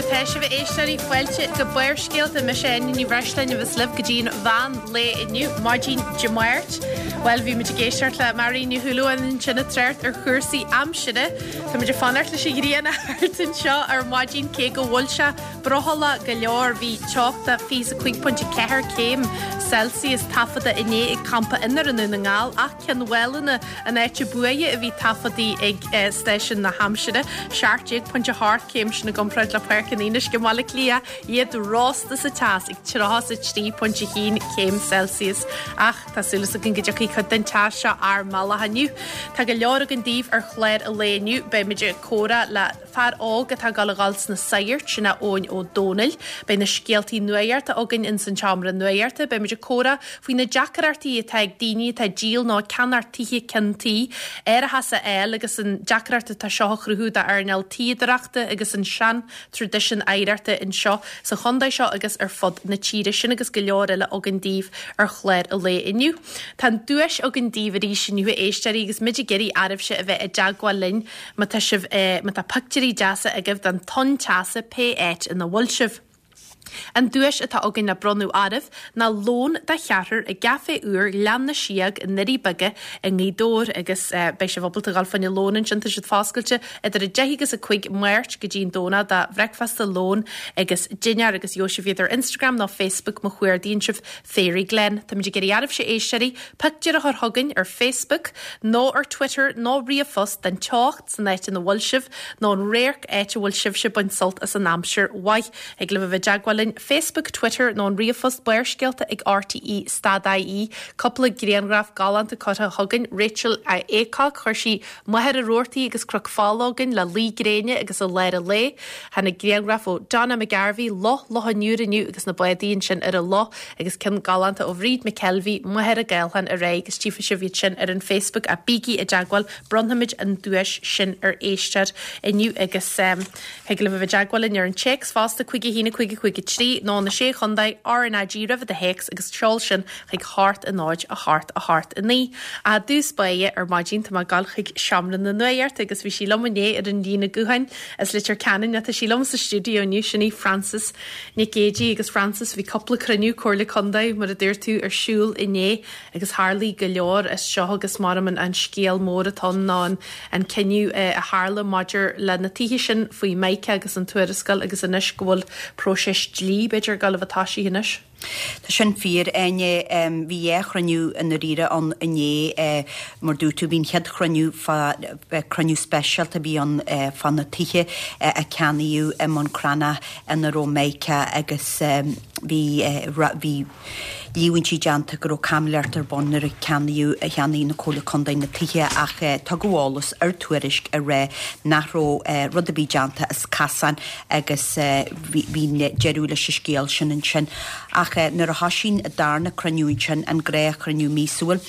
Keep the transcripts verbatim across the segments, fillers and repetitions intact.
atá sibh a éisteoirí fáilte go Barrscéalta mise Áine Ní Bhreisleáin a bheas libh go dtí'n mheán lae inniu maidin Dé Máirt. Well bhí muid ag éisteacht le Máirín Ní Shúilleabháin ansin ag trácht ar chúrsaí aimsire. Tá muid ag fanacht leis an ghrian thart anseo ar maidin cé go bhfuil sé brothallach go leor bhí teocht fiche a cúig pointe ceathair céim Celsius taifeadta inné ag Campa Inner i nDún na nGall ach Cionn Mhálanna an áit ba fhuaire a bhí taifeadta ag eh, stáisiún na haimsire. seacht déag pointe ocht céim sin i gcomparáid le Páirc an Fhionnuisce i mBaile Átha Cliath iad rósta sa teas ag tríocha is a trí pointe haon céim Celsius ach tá súil againn go dtiocfaidh cuid den teas seo ár mbealach inniu. Tá go leor againn daoibh ar chlár an lae inniu beimid ag comhrá le fear óg atá ag dul a dhul sna sagairt sin é Eoin Ó Dónaill, Beidh na scéaltaí nuachta againn in san tseomra nuachta, beimid ag comhrá faoi na deacrachtaí atá ag daoine atá díol nó ceannach tithe ceann tuí, árachas a fháil agus an deacracht atá seo a chruthú d'earnáil tuíodóireachta agus an sean traidisiún oidhreachta anseo sa chontae seo agus ar fud na tíre sin agus go leor eile againn daoibh ar chlár an lae inniu. Tá an duais againn daoibh arís inniu a éisteoirí agus muid ag iarraidh oraibhse a bheith i dteagmháil linn má tá sibh eh, má tá pictiúirí deasa agaibh den tonn teasa pé áit ina bhfuil sibh. An duais atá againn le bronnadh oraibh ná lón de cheathrar i gcaife úr Ghleann na Síóg i nDoirí Beaga i nGaoth Dobhair agus uh, beidh sibh ábalta dul fá choinne lón ansin tá siad foscailte idir a deich agus a cúig Máirt go dtí an Domhnach do bhricfeasta lón agus dinnéar agus gheobhaidh sibh iad ar Instagram nó Facebook má chuardaíonn sibh Fairy Glen. Tá muid ag iarraidh oraibhse éisteoirí pictiúr a chur chugainn ar Facebook nó ar Twitter nó ríomhphost den teocht san áit ina bhfuil sibh nó an radharc áit a bhfuil sibhse ag baint sult as an aimsir mhaith ag le bheith i dteagmháil linn Facebook, Twitter nó an ríomhphost Barrscéalta ag RTE stad IE, cúpla grianghraf galánta curtha chugainn Rachel Aycock chuir sí Machaire Rabhartaigh agus Cnoc Fola chugainn le luí gréine agus i lár an lae. Tháinig grianghraf ó Donna McGarvey Loch Loch an Iúir inniu agus na bádaí ansin ar an loch agus ceann galánta ó Bhríd McKelvey Machaire Gathlán ar aghaidh agus tchífidh sibh iad sin ar an Facebook a bígí i dteagmháil bronnfaimid an duais sin ar éisteoir inniu agus um, thig libh a bheith i dteagmháil linn ar an téacs fosta cúig a haon cúig cúig trí nó na sé chontae RnaG roimh do théacs agus seol sin chuig hocht a náid a hocht a hocht a naoi. I dtús báire ar maidin tá mé ag dul chuig seomra na nuachta agus bhí sí liom inné ar an líne gutháin as Leitir Ceanainn tá sí liom sa stiúideo inniu sin í Frances Nic Géadaigh agus Frances bhí cúpla cruinniú Comhairle Contae mar a dúirt tú ar siúl inné agus tharla go leor as seo agus mar an an scéal mór atá ná an, an cinneadh eh, a tharla maidir le na tithe sin faoi Mica agus an tuarascáil agus anois go bhfuil próiseas dlí b'fhéidir ag gabháil a thosaí anois. Tá sin fíor Áine bhí dhá chruinniú i ndáiríre ann inné mar dúirt tú bhí an chéad chruinniú cruinniú speisialta bhí an fá na tithe a ceannaíodh i mBun Cranncha ina raibh Mica agus bhí bhí líomhaintí déanta go raibh caimiléireacht ar bun nuair a ceannaíodh a cheannaigh na Comhairle Contae na tithe ach tugadh eolas ar Tuairisc a rá nach raibh rud a bhí déanta as casán agus bhí deireadh leis an scéal sin ansin. Ach nuair a thosaigh an darna cruinniú sin an gnáthchruinniú míosúil.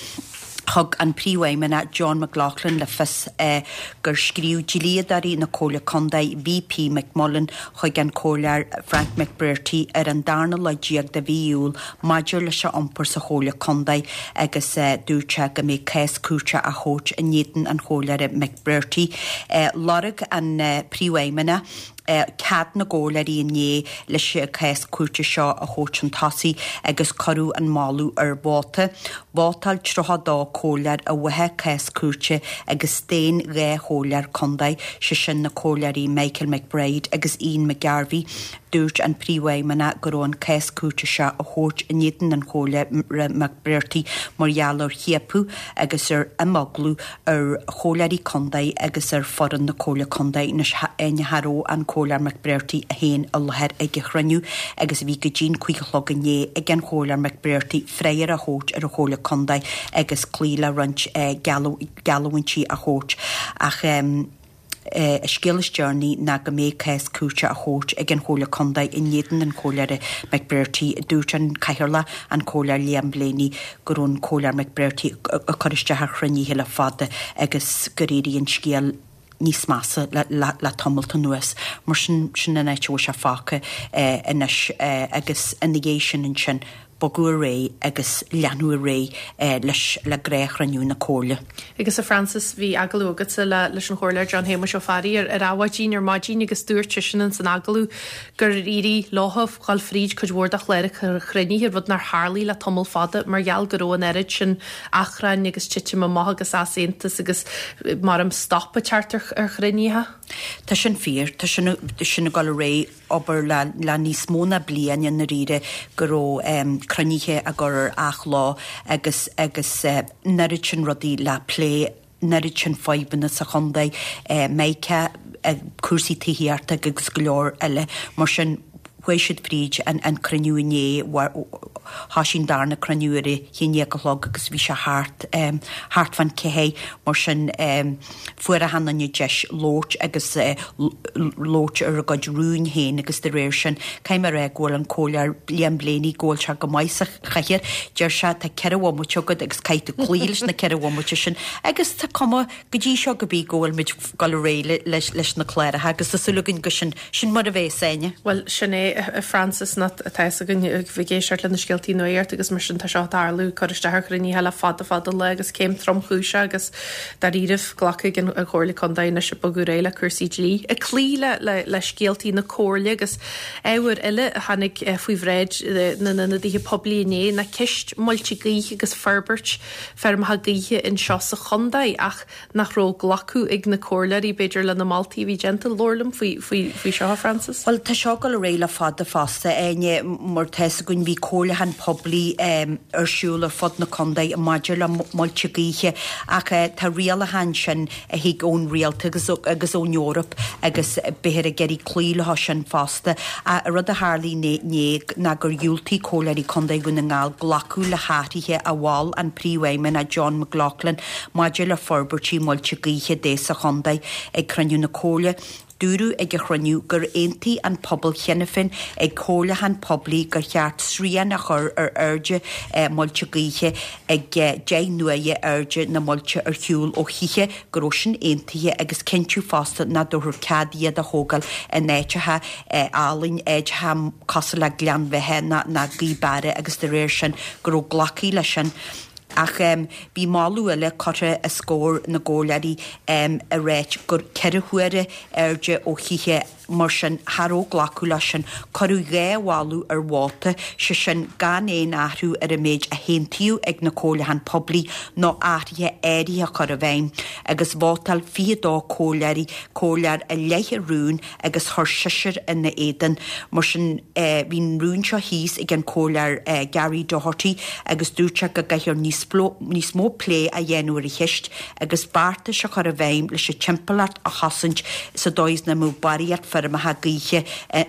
Thug an príomhfheidhmeannach John McLaughlin le fios eh, gur scríobh dlíodóirí na Comhairle Contae VP McMullen chuig an comhairleoir Frank McBrearty ar an darna lá déag de mhí Iúil maidir leis a iompar sa Chomhairle Contae agus eh, dúirt sé go mbeidh cás cúirte á thabhairt in éadan an chomhairleora McBrearty. Eh, Lorg an eh, príomhfheidhmeannach cead na gcomhairleoirí inné leis an cás cúirte seo a thabhairt chun tosaigh agus cuireadh an moladh ar vóta. Vótáil tríocha dó comhairleoir i bhfábhar cás cúirte agus staon dhá chomhairleoir contae sé sin na comhairleoirí Michael McBride agus Ian McGarvey. Dúirt an príomhfheidhmeannach go raibh an cás cúirte seo a thabhairt in éadan an chomhairleora McBrearty mar gheall ar chiapadh agus ar imeaglú ar chomhairleoirí contae agus ar fhoireann na Comhairle Contae cha raibh an comhairleoir McBrearty féin i láthair ag an chruinniú agus bhí go dtí an cúig a chlog inné ag an chomhairleoir McBrearty freagra a thabhairt ar an Chomhairle Contae agus cloí le roinnt geallúintí a thabhairt ach um, a scéal is deireanaí ná go mbeidh cás cúirte á thabhairt ag an Chomhairle Contae in éadan an chomhairleora McBrearty dúirt an cathaoirleach an comhairleoir Liam Blaney go raibh an comhairleoir McBrearty ag cur isteach ar chruinnithe le fada agus gur éirigh an scéal níos measa le, le, le tamall anuas mar sin sin an áit a bhfuil sé fágtha eh, anois eh, agus ina dhiaidh sin ansin bogadh ar aghaidh agus leanadh ar aghaidh leis le gnáthchruinniú na Comhairle. Agus a Frances, bhí agallamh agatsa le leis an Chomhairleoir John Shéamuis Ó Fearraigh ar ar Adhmhaidin ar maidin agus dúirt seisean ins an agallamh gur éirigh leo dhul fríd cuid mhór de chláracha chruinnithe, rud nár tharlaigh le tamall fada mar gheall go raibh an oiread sin achrainn agus titim amach agus easaontas agus mar am stop ag teacht ar ar chruinnithe. Tá sin fíor, tá sin sin ag dul ar aghaidh obair le le níos mó ná bliain i ndáiríre go raibh cruinnithe á gcur ar athlá agus agus an oiread sin rudaí le plé an oiread sin fadhbanna sa chontae, Meiceá, cúrsaí tithíochta agus go leor eile mar sin chuaigh siad fríd an an cruinniú inné thosaigh an darna cruinniú ar a haon déag a chlog agus bhí sé thart thart fán ceathair mar sin fuair achan duine deis labhairt agus labhairt ar a gcuid rúin féin agus de réir sin caithfidh mé a rá go bhfuil an Comhairleoir Liam Blaney go bhfuil sé go maith sa chathaoir deir sé tá ceithre bhomaite agat agus caithfidh tú cloí leis na ceithre bhomaite sin agus tá cuma go dtí seo go bí go bhfuil muid dul ar aghaidh leis leis na cláracha agus tá súil againn go sin sin mar a bheas Áine. Bhuel sin é a Frances ná tá a fhios againn bheith ag éisteacht le na scéaltaí nuachta agus mar sin tá seo ag tarlú cur isteach ar chruinnithe le fada fada le agus céim tromchúiseach agus dáiríribh glacadh an Chomhairle Contae anois ag bogadh ar aghaidh le cúrsaí dlí. Ag cloí le le le scéaltaí na Comhairle agus ábhar eile a tháinig faoi bhráid na n-ionadaithe poiblí inné ná ceist muilte gaoithe agus forbairt feirmeacha gaoithe anseo sa chontae ach nach raibh glacadh ag na comhairleoirí b'fhéidir le na moltaí a bhí déanta labhair liom faoi faoi faoi seo Frances. Well tá seo ag dul ar aghaidh le fada fosta Áine mar tá a fhios againn bhí comhairliúchán poiblí ar siúl ar fud na contae maidir le muilte gaoithe ach tá rialacháin sin a thig ón rialtas agus ón Eoraip agus beifear ag iarraidh cloí leo sin fosta. A rud a tharlaigh inné ná gur dhiúltaigh comhairleoirí Contae Dhún na nGall glacadh le hathruithe a mhol an príomhfheidhmeannach John McLaughlin maidir le forbairtí muilte gaoithe dé sa chontae ag cruinniú na Comhairle. Dúradh ag an chruinniú gur aontaigh an pobal cheana féin ag comhairliúchán poiblí gur cheart srian a chur ar airde muilte gaoithe ag deich n-uaire airde na muilte ar shiúl ó thithe go raibh sin aontaithe agus cinntiú fosta nach dtabharfar cead iad a thógáil in áiteacha álainn áiteacha cosúil le Gleann Bheatha ná Gaoth Beara agus de réir sin go raibh glactha leis sin. Ach bhí moladh eile curtha os comhair na gcomhairleoirí ag ráit gur ceithre huaire airde ó thithe mar sin cha raibh glacadh leis sin. Cuireadh dhá mholadh ar vóta, sé sin gan aon athrú ar an méid a haontaíodh ag na comhairliúcháin poiblí nó athruithe áirithe a chur i bhfeidhm, agus vótáil fiche dó comhairleoirí comhairleoir i leith an rúin agus chuir seisear ina éadan. Mar sin bhí an rún seo thíos ag an comhairleoir Gary Doherty agus dúirt sé go gcaithfear níos níos mó plé a dhéanamh ar an cheist agus beartais a chur i bhfeidhm leis an timpeallacht a chosaint sa dóigh is nach mbeadh barraíocht feirmeacha gaoithe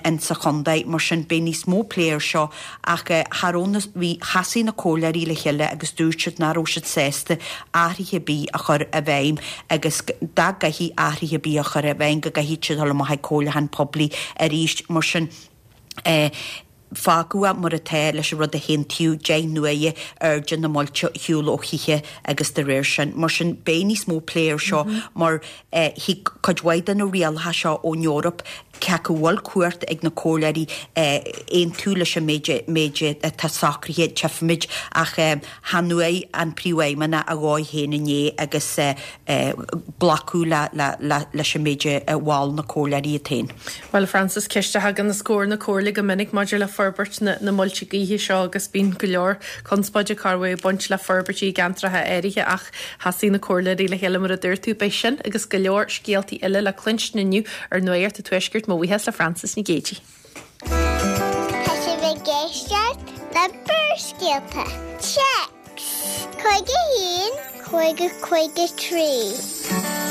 insa chontae. Mar sin beidh níos mó plé ar seo ach cha raibh na bhí sheasaigh na comhairleoirí le chéile agus dúirt siad nach raibh siad sásta athruithe ar bith a chur i bhfeidhm agus dá gcaithfí athruithe ar bith a chur i bhfeidhm go gcaithfidh siad dul amach ag comhairliúchán poiblí arís. Mar sin eh, fágadh é mar atá leis an rud a haontaíodh deich n-uaire airde na muilte ar shiúl ó thithe agus de réir sin. Mar sin beidh níos mó plé ar seo mar thig cuid mhaith de na rialacha seo ón Eoraip cé go bhfuil cumhacht ag na comhairleoirí aontú leis an méid méid atá socraithe tchífimid ach chan uaidh an príomhfheidhmeannach a dhóigh féin inné agus glacadh le le le leis an méid a mhol na comhairleoirí iad féin. Well Frances ceist a thagann os comhair na comhairle go minic maidir le forbairt na, na muilte gaoithe seo agus bíonn go leor conspóide carhé baint le forbairtí ceantracha áirithe ach sheasaigh na comhairleoirí le chéile mar a dúirt tú beidh sin agus go leor scéaltaí eile le cluinstin inniu ar Nuacht an Tuaiscirt mo bhuíochas le Frances Nic Géadaigh. Tá sibh ag éisteacht le Barrscéalta. Téacs Cúig a haon, cúig a cúig a trí.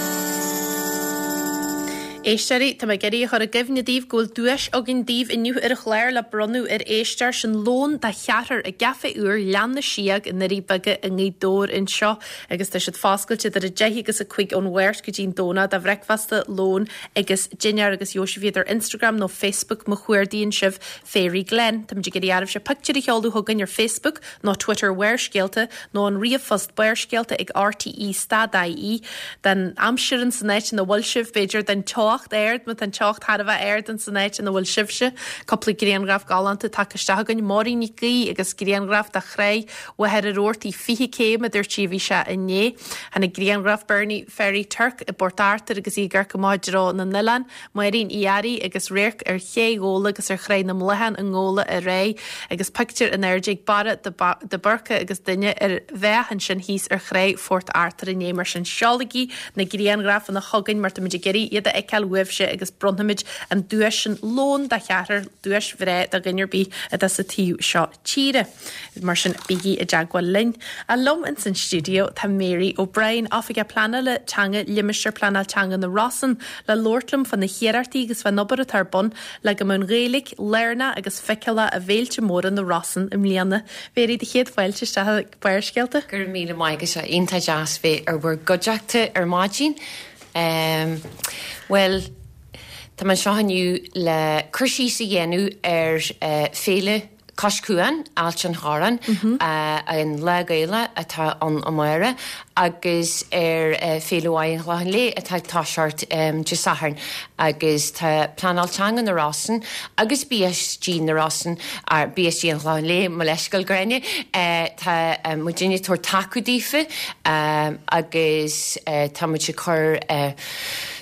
Éisteoirí, tá mé ag iarraidh a chur i gcuimhne daoibh go bhfuil duais againn daoibh inniu ar an chlár le bronnadh ar éisteoir sin lón do cheathrar i gCaifé úr Ghleann na Síóg i nDoirí Beaga i nGaoth Dobhair anseo agus tá siad foscailte idir a deich agus a cúig ón Mháirt go dtí an Domhnach do bhricfeasta, lón agus dinnéar agus gheobhaidh sibh iad ar Instagram nó Facebook má chuardaíonn sibh Fairy Glen. Tá muid ag iarraidh oraibhse pictiúr a sheoladh chugainn ar Facebook nó Twitter Bharrscéalta nó an ríomhphost barrscéalta ag RTE stad IE den aimsir in san áit ina bhfuil sibh b'fhéidir den teocht teocht ard, má tá an teocht thar a bheith ard in san áit ina bhfuil sibhse, cúpla grianghraf galánta tagtha isteach againn, Máirín Nic Aoidh agus grianghraf de Chreig Mhachaire Rabhartaigh fiche céim a dúirt sí a bhí sé inné. Tháinig grianghraf Bernie Ferry Turk i bPort Arthur agus í ag amharc amach i dtreo na n-oileán, Máirín Uí Fhearraigh agus radharc ar Ché Ghabhla agus ar Chreig na mBloitheán i nGabhla aréir agus pictiúr in airde ag Barra de Búrca agus duine ar bheach ansin thíos ar Chreig Phort Arthur inné. Mar sin seolaigí na grianghrafanna chugainn mar táimid ag iarraidh iad a fheiceáil uaibhse agus bronnfaimid an duais sin lón do cheathrar, duais bhreá do dhuine ar bith atá sa taobh seo tíre. Mar sin bígí i dteagmháil linn. A liom ins an stiúideo tá Mary O'Brien, Oifigeach Pleanála Teanga Limistéar Pleanála Teanga na Rosann, le labhairt liom fá na hiarrachtaí agus fán obair atá ar bun le go mbeadh an Ghaeilge lárnach agus feiceálach i bhféilte móra na Rosann i mbliana. Mary, do chéad fáilte isteach ag Barrscéalta. Go raibh míle maith agat, iontach deas bheith ar bhur gcuideachta ar maidin. Um, well, tá mé anseo inniu le cur síos a dhéanamh ar uh, féile Cois Cuain, Ailt an Chorráin, mm -hmm. uh, an Lá Gaelach atá ann amárach, agus ar uh, Féile Mhaighe an Chlocháin Léith atá ag toiseacht um, Dé Sathairn agus tá Pleanáil Teanga na Rosann agus B S G na Rosann ar B S G an Chlocháin Léith, mo leithscéal Gráinne, uh, tá um, muidinne ag tabhairt taca daofa um, agus uh, tá muid ag cur uh,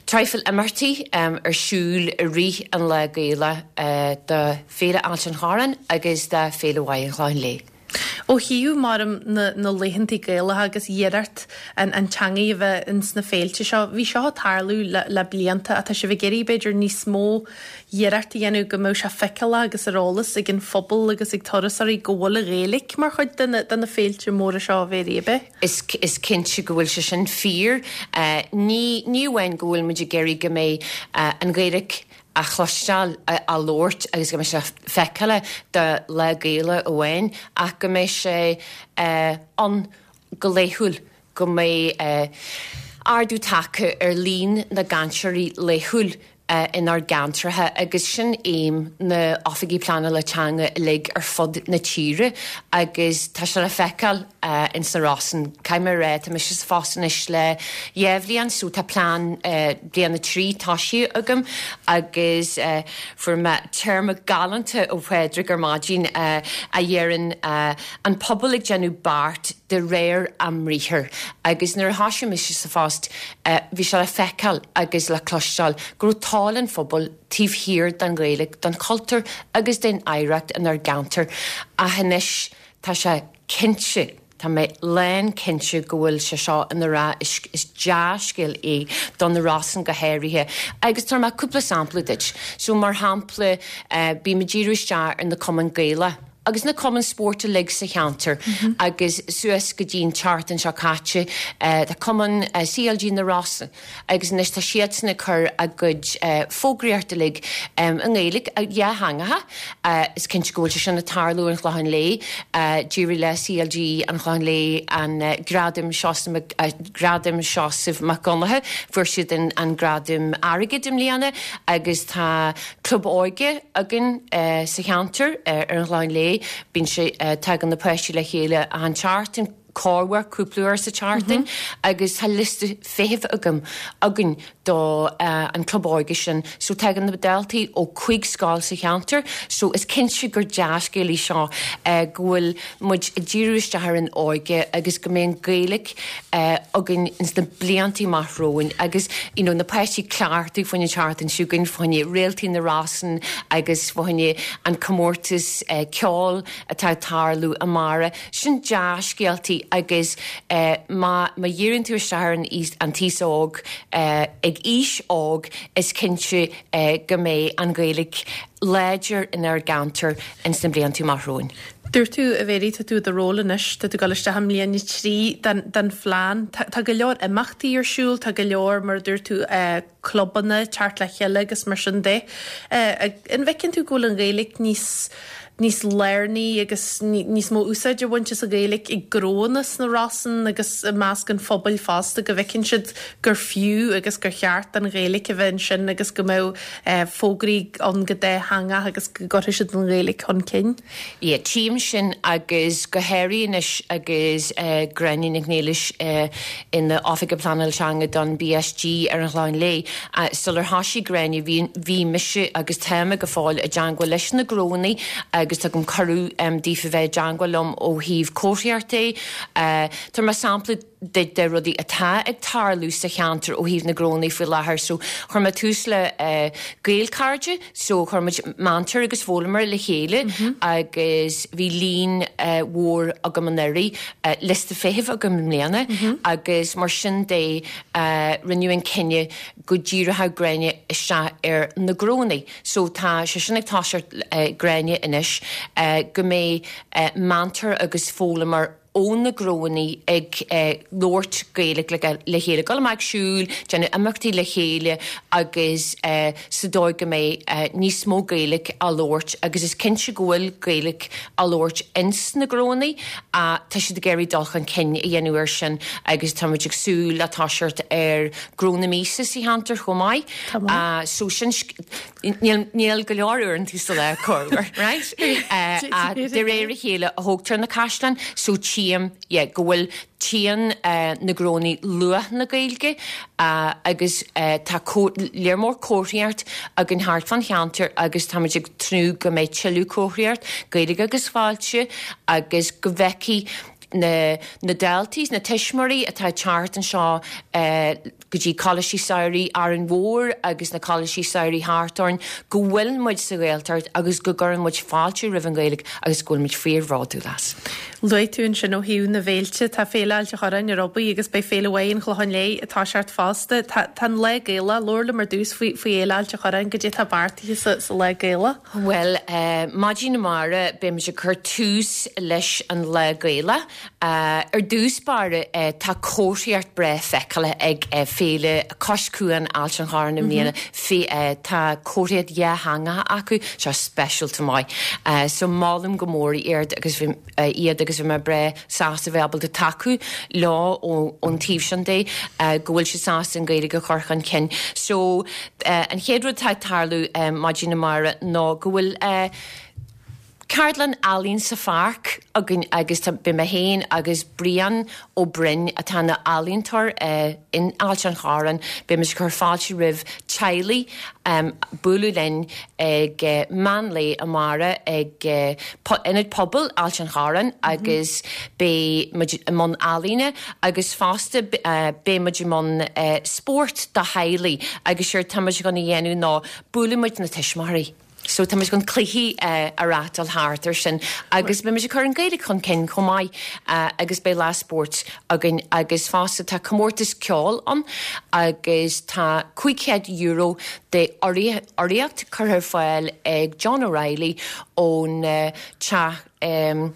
traidhfil imeachtaí um, ar siúl i rith an Lá Gaelach uh, do Féile Ailt an Chorráin agus do Féile Mhaighe an Chlocháin Léith. Ó thaobh mar na, na laethantaí Gaelacha agus iarracht an, an teanga a bheith ins na féilte seo, bhí seo ag tarlú le, le blianta atá sibh ag iarraidh b'fhéidir níos mó iarracht a dhéanamh go mbeadh sé feiceálach agus ar eolas ag an phobal agus ag turasóirí go bhfuil an Ghaeilge mar chuid de na, de na féilte móra seo a Mhary ab ea. Is, is cinnte go bhfuil sé sin fíor. Uh, ní, ní amháin go bhfuil muid ag iarraidh go mbeidh uh, an Ghaeilge á chloisteáil á labhairt agus go mbeidh sé feiceálach do Lá Gaelach amháin ach go mbeidh sé uh, ann go laethúil go mbeidh uh, ardú tagtha ar líon na gcainteoirí laethúil uh, inár gceantracha agus sin aidhm na oifigí pleanála teanga uilig ar fud na tíre agus tá sé le feiceáil uh, in sna Rosann. Caithfidh mé rá tá mise sa phost anois le dhá bhliain so tá plean uh, bliain a trí tosaithe agam agus uh, fuair mé téarma galánta ó Phádraig ar maidin uh, a deireann uh, an pobal ag déanamh beart de réir a mbriathar. Agus nuair a thosaigh mise sa phost uh, bhí sé le feiceáil agus le cloisteáil go raibh toil an phobail taobh thiar den Ghaeilge, den chultúr agus den oidhreacht inár gceantar. Ach anois tá sé cinnte Tá mé lán cinnte go bhfuil sé seo ina rath is, is dea-scéal é don na Rosann go háirithe. Agus tá mé cúpla sampla duit. So mar shampla uh, bím ag díriú isteach ar na cumainn Gaelacha. Agus na cumainn spóirt uilig sa cheantar mm -hmm. agus suas go dtí an tseachtain seo caite uh, tá cumann uh, C L G na Rosann agus anois tá siadsan ag cur a gcuid uh, fógraíocht uilig um, i nGaeilge dhátheangach uh, is cinnte go bhfuil sé sin ag tarlú an Chlocháin Léith uh, d'éirigh le C L G an Chlocháin Léith an uh, Gradam Seosamh uh, Gradam Seosamh Mac Donncha fuair siad an, an Gradam airgid i mbliana agus tá club óige againn uh, sa cheantar uh, ar an Chlocháin Léith bíonn sé uh, tagann na páistí le chéile an tseachtain corruair cúpla uair sa tseachtain mm -hmm. agus tá liosta feithimh agam againn do uh, an club óige sin so tagann na daltaí ó chúig scoil sa cheantar so is cinnte gur dea-scéal é seo uh, go bhfuil muid ag díriú isteach ar an óige agus go mbeidh an Ghaeilge uh, againn ins na blianta amach romhainn agus you know, na páistí cleachtaí faoin tseachtain seo chugainn fá choinne Réaltaí na Rosann agus fá choinne an comórtas uh, ceoil atá ag tarlú amárach sin dea-scéaltaí agus uh, má má dhíríonn tú isteach ar an an t-aos óg uh, ag aois óg is cinnte uh, go mbeidh an Ghaeilge láidir inár gceantar ins na blianta amach romhainn. Dúirt tú a Mhary tá tú do ról anois, tá tú ag dul isteach i mbliain a trí den, den phlean. Tá, tá go leor imeachtaí ar siúl, tá go leor mar dúirt tú uh, clubanna teacht le chéile agus mar sin de. Uh, an bhfeiceann tú go bhfuil an Ghaeilge níos níos lárnaí agus níos mó úsáid a bhaint as an Ghaeilge i ngnónna sna Rosann agus i measc an phobail fosta go bhfeiceann siad gur fiú agus gur cheart an Ghaeilge a bheith ansin agus go mbeadh eh, fógraí ann go dátheangach agus go gcuirfidh siad an Ghaeilge chun cinn. Yeah, tchím sin agus go háirithe anois agus uh, Gráinne Nic Niallais uh, ina Oifigeach Pleanála Teanga don BSG ar an Chlochán Liath. Uh, sular thosaigh Gráinne bhí, bhí mise agus táim go fóill i dteagmháil leis na gnónna agus tugaim cuireadh um, daofa bheith i dteagmháil liom ó thaobh comharthaíochta. Uh, Tá mar sampla de, de rudaí atá ag tarlú sa cheantar ó thaobh na gnónna faoi láthair, so chuir mé tús le uh, Gaelchairde, so chuir muid múinteoir agus foghlaimeoir le chéile mm -hmm. agus bhí líon uh, mhór agam anuraidh uh, liosta feithimh agam i mbliana mm -hmm. agus mar sin de uh, rinneadh an cinneadh go ndíreodh Gráinne isteach ar na gnónna. So tá sé sin ag toiseacht uh, Gráinne anois uh, go mbeidh uh, múinteoir agus foghlaimeoir ó na gnónna ag eh, labhairt Gaeilge le, le chéile dul amach siúl, déanamh imeachtaí le chéile agus eh, sa dóigh go mbeidh eh, níos mó Gaeilge á labhairt agus is cinnte go bhfuil Gaeilge á labhairt ins na gnónna a tá siad ag iarraidh dul chun cinn a dhéanamh air sin agus tá muid ag súil le toiseacht ar gnó na míosa sa cheantar chomh maith. Uh, so sin níl, níl go leor uaireanta sa lá corruair, right? Uh, a de réir a chéile a thógtar na caisleáin, so tchím yeah, go bhfuil tchíonn uh, na gnónna luach na Gaeilge uh, agus uh, tá léir mór comharthaíocht againn thart fán cheantar agus táimid ag tnúth go mbeidh tuilleadh comharthaíocht Gaeilge agus fáilte agus go bhfeicfidh na, na daltaí na tuismitheoirí atá teacht anseo uh, go dtí coláistí samhraidh Árainn Mhór agus na coláistí samhraidh thart orainn go bhfuil muid sa Ghaeltacht agus go gcuireann muid fáilte roimh an Ghaeilge agus go bhfuil muid fíorbhródúil as. Luaigh tú ansin ó thaobh na bhféilte tá Féile Ailt an Chorráin ar obair agus beidh Féile Mhaigh an Chlocháin Léith atá seart fosta Tá an Lá Gaelach labhair liom ar dtús faoi faoi Fhéile Ailt an Chorráin goidé tá beartaithe sa, sa Lá Gaelach. Well, uh, maidin amárach beimid ag cur tús leis an Lá Gaelach. Uh, ar dtús báire uh, tá comharthaíocht breá feiceáil ag uh, Féile Cois Cuain Ailt an Chorráin i mbliana mm -hmm. uh, tá comharthaíocht dhátheangach acu seo speisialta maith. Uh, so molaim go mór iad agus bhí, uh, iad agus bhí mé breá sásta bheith ábalta tacú leo ón taobh sin de uh, go bhfuil siad sásta an Ghaeilge a chur chun cinn. So uh, an chéad rud atá ag tarlú um, maidin amárach ná go bhfuil uh, Ceardlann ealaín sa pháirc againn agus beidh mé féin agus Brian Ó Broin atá ina ealaíontóir uh, in Ailt an Chorráin, beimid ag cur fáilte roimh teaghlaigh um, bualadh linn ag uh, meán lae amárach ag uh, Ionad Pobail Ailt an Chorráin mm -hmm. agus beidh muid i mbun ealaíne agus fosta uh, beidh muid i mbun uh, spórt do theaghlaigh agus séard tá muid chun a dhéanamh ná buailfidh muid na tuismitheoirí. So tá muid chun cluichí uh, a reáchtáil thart ar sin agus beimid ag cur an Ghaeilge chun cinn chomh maith uh, agus beidh lá spóirt againn agus fosta tá comórtas ceoil ann agus tá cúig chéad euro de urraíocht curtha ar fáil ag John O'Reilly ón uh, teach um,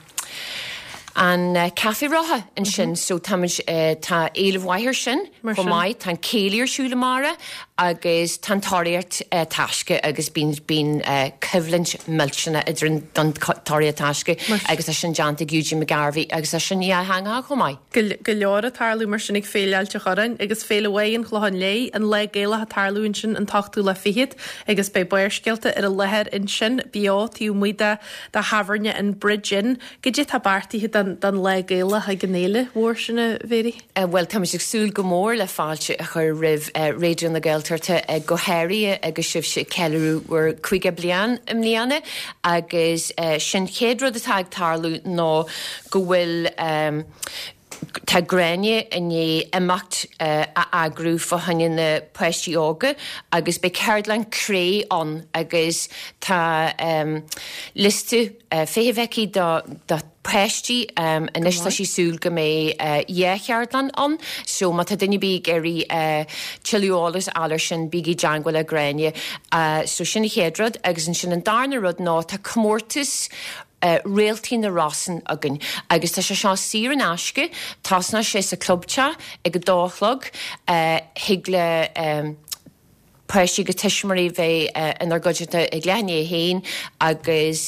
an uh, Café Rotha ansin mm -hmm. so tá uh, tá éileamh mhaith air sin chomh maith tá céilí ar siúl amárach agus tá tóraíocht uh, taisce agus bíonn bíonn uh, coimhlint millteanach idir don tóraíocht taisce agus tá sin déanta ag Eugene McGarvey agus tá sin dhátheangach chomh maith. Go leor ag tarlú mar sin ag Féile Ailt an Chorráin agus Féile Mhaigh an Chlocháin Léith an Lá Gaelach ag tarlú ansin an t-ochtú lá fichead agus beidh Barrscéalta ar an láthair ansin beo taobh amuigh de de thábhairne an Bridge Inn, goidé tá beartaithe don, don Lá Gaelach ag an fhéile mhór sin a Mhéirí? Uh, well tá ag súil go mór le fáilte a chur roimh uh, Raidió na Gaeltachta uh, go háirithe agus sibhse ag ceiliúradh bhur caoga bliain i mbliana agus uh, sin chéad rud atá ag tarlú ná go bhfuil um, Tá Gráinne i ndiaidh imeacht uh, a eagrú fá choinne na páistí óga agus beidh ceardlann cré ann agus tá um, liosta uh, feithimh aici do, do páistí um, anois tá sí súil go mbeidh uh, dhá cheardlann ann, so má tá duine ar bith ag iarraidh uh, tuilleadh eolas a fháil air sin bígí i dteagmháil le Gráinne. Uh, so sin an chéad rud agus ansin an darna rud ná tá comórtas Uh, Réaltaí na Rosann againn agus tá sé seo saor in aisce tosnóidh sé sa clubteach ag a dó a chlog uh, thig le um, páistí agus tuismitheoirí bheith inár gcuideachta ag leath i ndiaidh a haon agus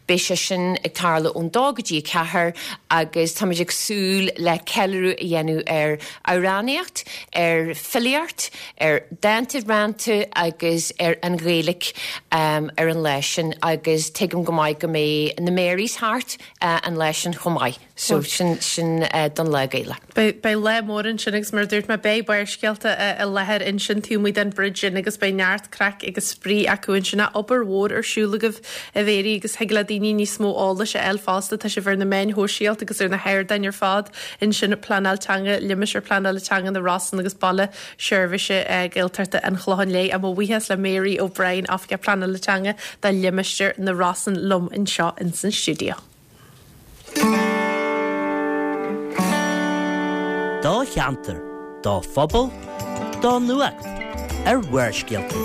beidh sé sin ag tarlú ón dó go dtí a ceathair agus táimid ag súil le ceiliúradh a dhéanamh ar amhránaíocht, ar filíocht, ar dánta rannta agus ar an Ghaeilge ar an lá sin agus tuigim go maith go mbeidh na Marys thart an lá sin chomh maith. So sin sin don Lá Gaelach. Beidh lá mór ansin agus mar a dúirt mé beidh Barrscéalta i láthair ansin taobh amuigh den Bridge Inn agus beidh neart craic agus spraoi acu ansin. Obair mhór ar siúl agaibh a Mhéirí agus thig le daoine níos mó eolais a fháil fosta. Tá sibh ar na meáin shóisialta agus ar na hardáin ar fad ansin Pleanáil Teanga Limistéar Pleanála Teanga na Rosann agus Baile Seirbhíse Gaeltachta an Chlocháin Léith. Mo bhuíochas le Mary O'Brien Oifigeach Pleanála Teanga do Limistéar na Rosann liom anseo in san stiúideo. Do cheantar, do phobal, do nuacht ar Bharrscéalta.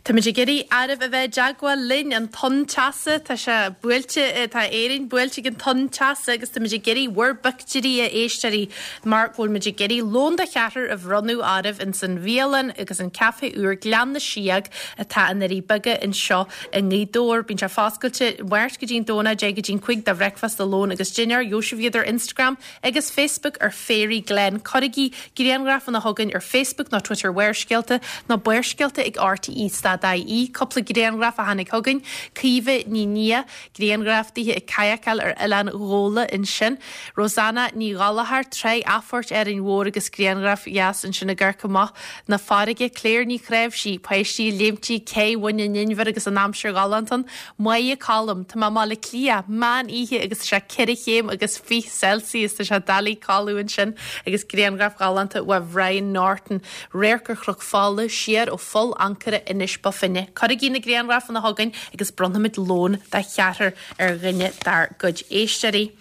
Táimid ag iarraidh oraibh a bheith i dteagmháil linn an tonn teasa tá sé buailte tá Éirinn buailte ag an tonn teasa agus táimid ag iarraidh bhur bpictiúirí a éisteoirí mar go bhfuil muid ag iarraidh lón de cheathrar a bhronnadh oraibh in san bhialann agus an caife úr Gleann na Síog atá i nDoirí Beaga anseo i nGaoth Dobhair. Bíonn sé foscailte Máirt go dtí'n Domhnach deich go dtí'n cúig do bhricfeasta lón agus dinnéar gheobhaidh sibh iad ar Instagram agus Facebook ar Fairy Glen. Cuirigí grianghrafanna chugainn ar Facebook nó Twitter Bharrscéalta nó Barrscéalta ag RTE stad IE, cúpla grianghraf a tháinig chugainn, Caoimhe Ní Nia, grianghraf dithe ag kayakáil ar Oileán Ghabhla ansin, Rosanna Ní Ghallchóir, Tráigh Athphoirt Árainn Mhór agus grianghraf dheas ansin ag amharc amach na farraige, Claire Ní Chráimhsí, páistí ag léimtí cé Bhun an Inbhir agus an aimsir ghalánta ann, Máire Colm, Tá mé i mBaile Átha Cliath, meán oíche agus sé ceithre chéim agus fiche Celsius tá sé doiligh codladh ansin agus grianghraf ghalánta ó Brian Norton, radharc ar Chnoc Fola siar ó Pholl Ancaire Inis Bó Finne. Cuirigí na grianghrafanna chugainn agus bronnfaimid lón de cheathrar ar dhuine dár gcuid éisteoirí.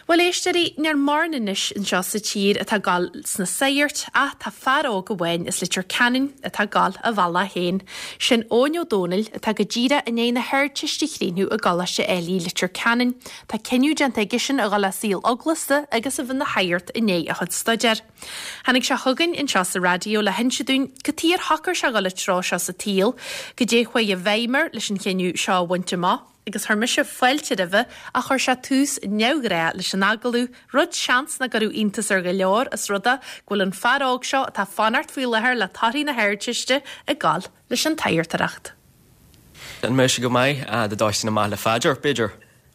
Bhuel éisteoirí, níl mórán anois anseo sa tír atá ag gabháil sna sagairt ach tá fear óg amháin as Leitir Ceanainn atá ag gabháil a bhealach féin. Sin Eoin Ó Dónaill atá go díreach i ndiaidh na hArdteiste a chríochnú i gColáiste Éilí Leitir Ceanainn. Tá cinneadh déanta aigesean a dhul le saol eaglasta agus a bheith ina shagart i ndiaidh a chuid staidéir. Tháinig sé chugainn anseo sa raidió le hinse dúinn cad chuige ar shocair sé dhul an treo seo sa tsaol, goidé chuaigh i bhfeidhm air leis an chinneadh seo a bhaint amach, agus chuir mise fáilte roimhe ach chuir sé tús neamhghnách leis an agallamh, rud seans nach gcuirfeadh iontas ar go leor os rud é go bhfuil an fear óg seo atá ag fanacht faoi láthair le torthaí na hArdteiste ag gabháil leis an tsagartóireacht. An mbeidh sé go maith dá dtosóinn amach le phaidir, b'fhéidir?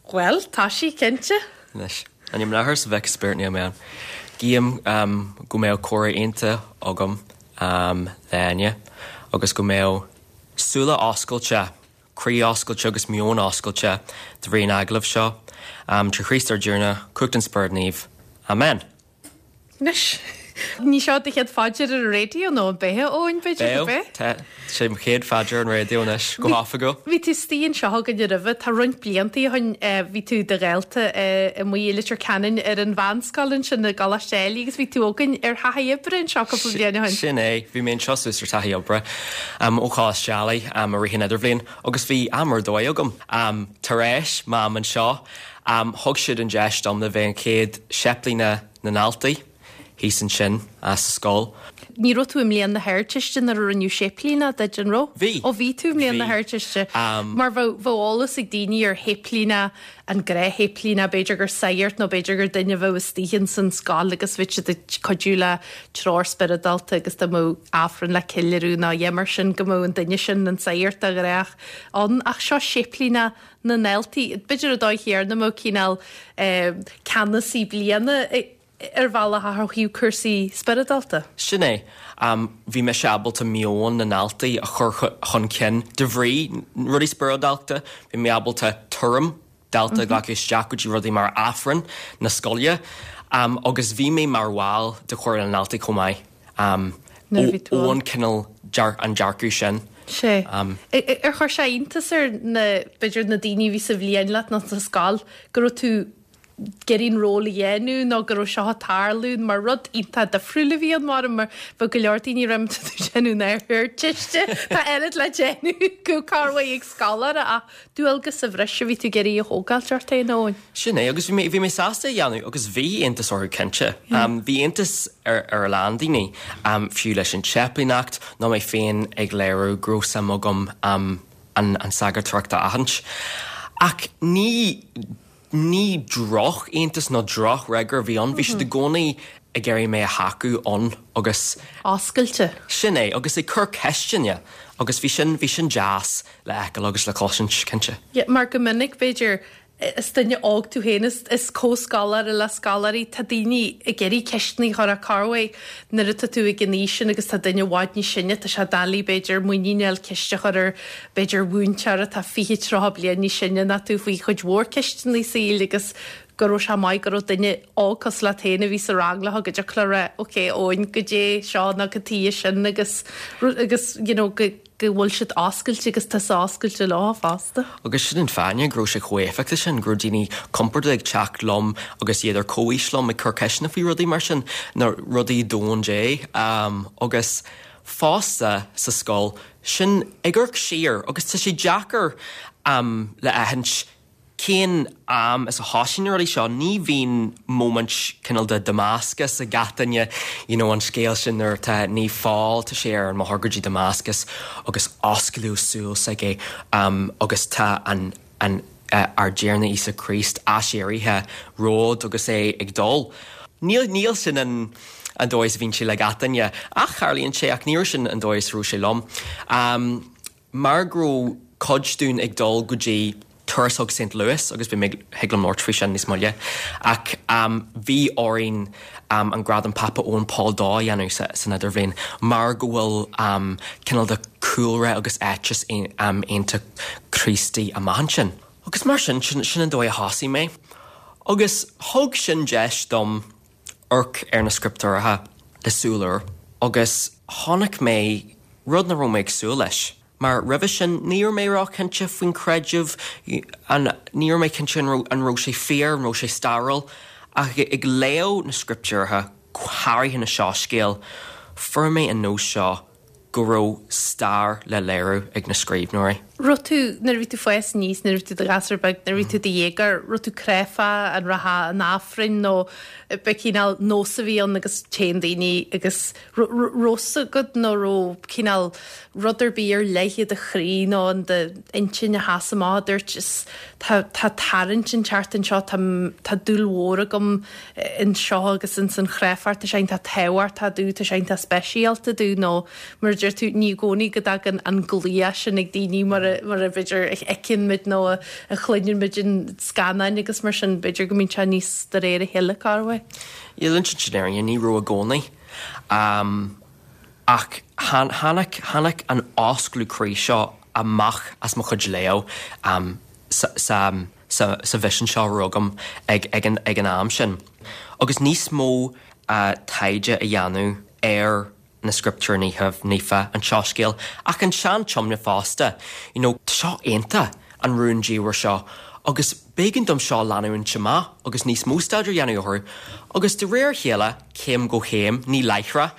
Bhuel, tá sí cinnte. Anois, in ainm an Athar is an Mhic is Spiorad Naomh Amen. Guím go mbeadh comhrá iontach agam le Áine agus go mbeadh súile oscailte, croí oscailte agus meon oscailte de bhrí an agallaimh seo. Trí Chríost ár dTiarna, cumhacht an Spioraid Naoimh. Amen. Anois, ní seo do chéad phaidir ar an raidió nó an b'ea Eoin b'fhéidir go Beo, b'ea? tá sé mo chéad phaidir ar an raidió anois, go hoifigiúil. Bhí tú istigh anseo againn roimhe, tá roinnt blianta ó shin bhí tú i do dhalta amuigh i Leitir Ceanainn ar an mheánscoil ansin i gColáiste Éilí agus bhí tú againn ar thaithí oibre anseo cúpla bliain ó shin. Sin é, bhí mé anseo suas ar taithí oibre ó Choláiste Ailigh i rith an idirbhliain agus bhí am ar dóigh agam. Tar éis m'am anseo, thug siad an deis dom le bheith an chéad séiplíneach na ndaltaí thíos ansin as sa scoil. Ní raibh tú i mbliain na hArdteiste nuair a rinneadh séiplíneach duit an raibh? Bhí. Ó bhí tú i mbliain na Bhí. hArdteiste. Mar bheadh bheadh eolas ag daoine ar shéiplíneach an gnáthshéiplíneach, b'fhéidir gur sagart nó b'fhéidir gur duine a bheadh istigh ins an scoil agus bhí siad ag cuidiú le treoir spioradálta agus dá mbeadh Aifreann le ceiliúradh nó a dhath mar sin go mbeadh an duine sin an sagart de ghnách ann. Ach seo séiplíneach na ndaltaí. B'fhéidir an dóigh chéanna mbeadh cineál ceannasaí bliana ar bhealach a thaobh cúrsaí spioradálta. Sin é. Bhí mise ábalta meon na ndaltaí a chur chun cinn de bhrí rudaí spioradálta, bhí mé ábalta tuairim dalta a ghlacadh isteach go dtí rudaí mar Aifreann na scoile agus bhí mé mar bhall de Chomhairle na ndaltaí chomh maith Nuair a bhí tú ó ann. an cineál an dearcadh sin. Sé. Ar chuir sé iontas ar na b'fhéidir na daoine a bhí sa bhliain leat nó sa scoil go raibh tú ag iarraidh an ról a dhéanamh nó go raibh seo ag tarlú mar rud iontach difriúil a bhí ann mar mar bheadh go leor daoine ag déanamh náire ar tuiste Tá oiread le déanamh go carmhaigh ag scoláire ach dualgas sa bhreis a bhí tú ag iarraidh a thógáil ort féin Eoin. Sin é agus bhí mé bhí mé sásta a dhéanamh agus bhí iontas orthu cinnte. Um, bhí iontas ar ar a lán daoine um, fiú leis an tséiplíneacht nó mé féin ag léiriú go raibh suim agam um, an, an sagartóireacht a aithint. Ach ní ní drochiontas nó drochfhreagra a bhí ann, bhí siad i gcónaí ag iarraidh mé a thacú ann agus Oscailte. sin é agus ag cur ceisteanna agus bhí sin bhí sin deas le feiceáil agus le cloisint cinnte. Ja, mar go minic b'fhéidir is duine óg tú féin is, is comhscoláire le scoláirí tá daoine ag iarraidh ceisteanna a chur ar carway nuair atá tú ag an aois sin agus tá duine i bhfad níos sine tá sé doiligh b'fhéidir muinín a fháil ceist a chur ar b'fhéidir mhúinteoir atá fiche tríocha bliain níos sine ná tú faoi chuid mhór ceisteanna saoil agus go raibh sé maith go raibh duine óg cosúil leat féin a bhí sa rang le go dtiocfadh le rá ok Eoin goidé seo nó cad chuige sin agus agus you know, go go bhfuil siad oscailte agus tá oscailte leo fosta. Agus sin an fáth go raibh sé chomh héifeachtach sin go raibh daoine compordach ag teacht liom agus iad ar comhaois liom ag cur ceisteanna faoi rudaí mar sin na rudaí domhain Dé um, agus fosta sa scoil sin ag amharc siar agus tá sé deacair um, le aithint cén am is a thosaigh na rudaí seo ní bhíonn moment cineál de Damascus ag gach duine you know, an scéal sin nuair tá Naomh Pól tá sé ar an mbóthar go dtí Damascus agus osclaíodh súil s'aige um, agus tá an, an uh, ár dTiarna Íosa Críost aiséirithe rompu agus é ag dul. Níl níl sin an an dóigh a bhíonn sé le gach duine ach tarlaíonn sé ach níor sin an dóigh a raibh sé liom. Um, mar go raibh cuid dúinn ag dul go dtí turas ag St. Louis agus bhí mé thig liom labhairt faoi sin níos moille ach um, bhí orainn um, an gradam Pápa Eoin Pól dó a dhéanamh sa, san idirbhliain mar go bhfuil um, cineál de cúlra agus éiteas um, iontach Críostaí amach ansin. Agus mar sin sin, sin an dóigh a thosaigh mé. Agus thug sin deis dom amharc ar na scrioptúracha le súil úr, agus chonaic mé rud nach raibh mé ag súil leis. Mar roimhe sin ní raibh mé róchinnte faoin creideamh an ní raibh mé cinnte an raibh sé fíor an raibh sé stairiúil ach ag léamh na scrioptúracha go háirithe na soiscéil, fuair mé an nós seo go raibh stair le léiriú ag na scríbhneoirí. Raibh tú nuair a bhí tú fós níos nuair a bhí tú i do ghasúr beag nuair a bhí tú i do dhéagóir, raibh tú cráifeach an rachfá an Aifreann nó ba cineál nós a bhí ann agus téann daoine agus raibh fhios agat nó raibh cineál rud ar bith ar leith i do chroí nó in d'intinn a sheas amach a dúirt is tá tá tarraingt inteacht anseo tá tá dúil mhór agam anseo agus in san chreidmheacht tá sé iontach tábhachtach domh tá sé iontach speisialta domh nó mar a deir tú ní i gcónaí go dtagann an glaoch sin ag daoine mar a mar a b'fhéidir a fheiceann muid nó a a chluineann muid in scannáin agus mar sin b'fhéidir go mbíonn sé níos de réir a chéile carway. Le insint an fhírinne ní raibh i gcónaí. Um, ach tháinig tháinig an osclú croí seo amach as mo chuid léamh um, sa, sa, sa, sa mhisean seo agam ag, ag, an, ag an am sin. Agus níos mó uh, taighde a dhéanamh ar na scrioptúir naofa an tsoiscéal ach an Sean-Tiomna fosta, you know, tá seo iontach an rúndiamhair seo, agus b'éigean dom seo leanúint amach agus níos mó staidéir a dhéanamh orthu, agus de réir a chéile céim go chéim ní láithreach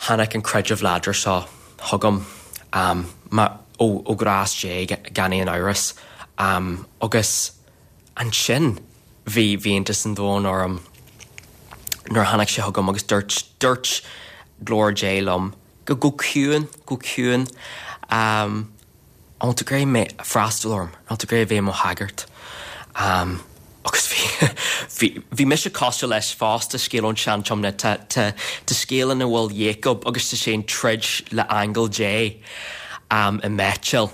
tháinig an creideamh láidir seo chugam um, ma, ó, ó ghrás Dé gan aon amhras um, agus ansin bhí bhí iontas an domhain orm nuair tháinig sé chugam agus dúirt dúirt glór Dé liom go go ciúin go ciúin um, an tú gré mé freastal orm an tú gré bhéith mo hagart. Um, agus bhí bhí mise cosúil leis fosta scéal ón Sean-Tiomna tá scéal ina bhfuil Jacob agus tá sé ag troid le aingeal Dé um, i mBetel.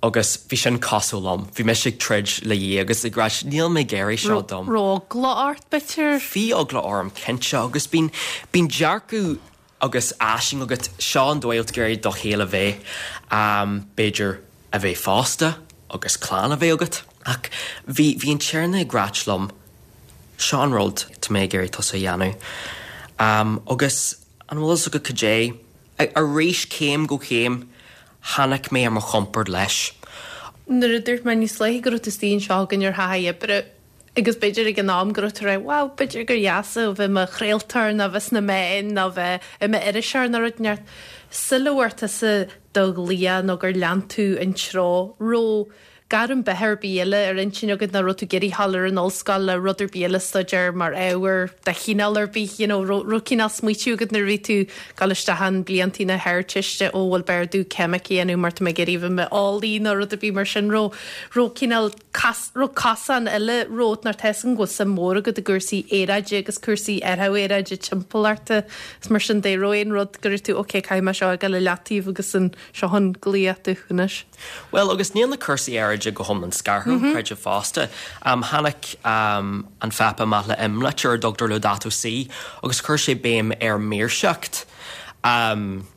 agus bhí sin cosúil liom, Bhí mise ag troid le Dia agus ag rá níl mé ag iarraidh seo dom. Raibh eagla ort b'fhéidir? Bhí eagla orm cinnte agus bíonn bíonn dearcadh agus aisling agat seo an dóigh gur do shaol a bheith um, b'fhéidir a bheith pósta agus clann a bheith agat. Ach bhí bhí an Tiarna ag rá liom seo an rud tá mé ag iarraidh tusa a dhéanamh. Um, agus an bhfuil a fhios agat cad é arís céim go chéim tháinig mé ar mo chompord leis. Nuair a dúirt mé níos luaithe go raibh tú istigh anseo againn ar thaithí oibre Agus b'fhéidir ag an am go raibh tú ag rá, wow, b'fhéidir gur dheas a bheith i mo chraoltóir nó bheith sna meáin nó bheith i m'iriseoir nó rud inteacht. Sula bhfuair tusa do ghlaoch nó gur lean tú an treo, raibh gairm beatha ar bith eile ar intinn agat nó raibh tú ag iarraidh a ghabháil ar an ollscoil le rud ar bith eile a staidéar mar ábhar de chineál ar bith, you know, raibh raibh cineál smaoitiú agat nuair a bhí tú ag dul isteach in bliantaí na hArdteiste, ó bhuel b'fhearr domh ceimic a dhéanamh mar tá mé ag iarraidh a bheith i m'eolaí nó rud ar bith mar sin, raibh raibh cineál cas raibh cosán eile romhat nó tá a fhios agam go bhfuil suim mhór agat i gcúrsaí aeráide agus cúrsaí athrú aeráide timpeallachta is mar sin de, raibh aon rud go raibh tú ok caithfidh mé seo a fhágáil i leataobh agus an seo an glaoch domh anois. Bhuel, agus níl na cúrsaí aeráide go hiomlán scartha ón creideamh fosta. Um, tháinig um, an Phápa amach le imlitir ar a dtugtar Laudato Si agus chuir sé béim ar maoirseacht um,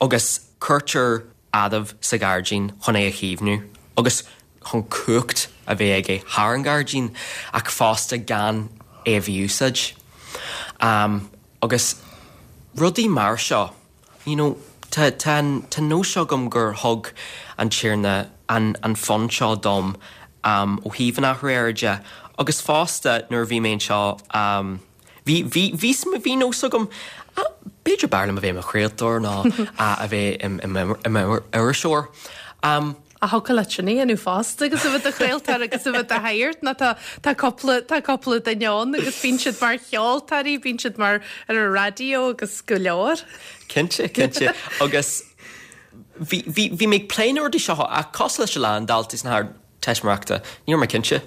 agus cuirtear Adamh sa ghairdín chun é a chaomhnú agus chun cumhacht a bheith aige thar an ghairdín ach fosta gan é a mhí-úsáid. Um, agus rudaí mar seo, you know, tá tá tá nós agam gur thug an Tiarna an an fonn seo dom um, ó thaobh an athrú aeráide agus fosta nuair a bhí mé anseo um, bhí bhí bhí bhí nós agam ah, b'fhéidir b'fhearr liom a bheith i mo chraoltóir ná a bheith i m'iriseoir. Um, A thiocfadh leat sin a dhéanamh fosta agus a bheith i do chraoltóir agus a bheith i do shagart nó tá tá cúpla tá cúpla duine ann agus bíonn siad mar cheoltóirí, bíonn siad mar ar an raidió agus go leor. Cinnte, cinnte agus bhí bhí bhí mé ag plé na rudaí seo ach cosúil leis a lán daltaí sna hArdteistiméireachta, ní raibh mé cinnte.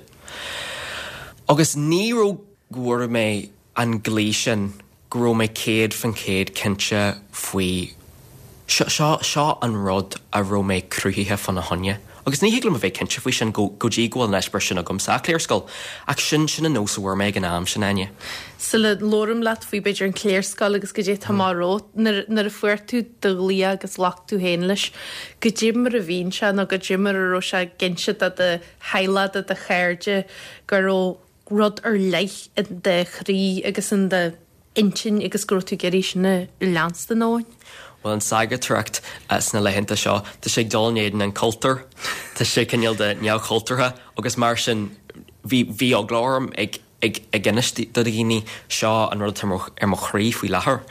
Agus ní raibh go bhfuair mé an glao sin go raibh mé céad faoin chéad cinnte faoi seo seo seo an rud a raibh mé cruthaithe fána choinne. Agus ní thig liom a bheith cinnte faoi sin go go dtí go bhfuil an eispéireas sin agam sa chléarscoil, ach sin sin an nós a bhfuair mé ag an am sin Áine. Sula labhraím leat faoi b'fhéidir an chléarscoil agus goidé tá romhat nuair nuair a fuair tú do ghlaoch agus ghlac tú féin leis, goidé mar a bhíonn sé nó goidé mar a raibh sé ag inse do do theaghlach do do chairde go raibh rud ar leith in do chroí agus in do intinn agus go raibh tú ag iarraidh sin a leanstan ann. Well an sagartóireacht uh, sna laethanta seo, Tá sé ag dul in éadan an cultúr, Tá sé cineál de neamhchultúrtha agus mar sin bhí bhí eagla orm ag ag ag inis do dhaoine seo an rud atá ar mo chroí faoi láthair.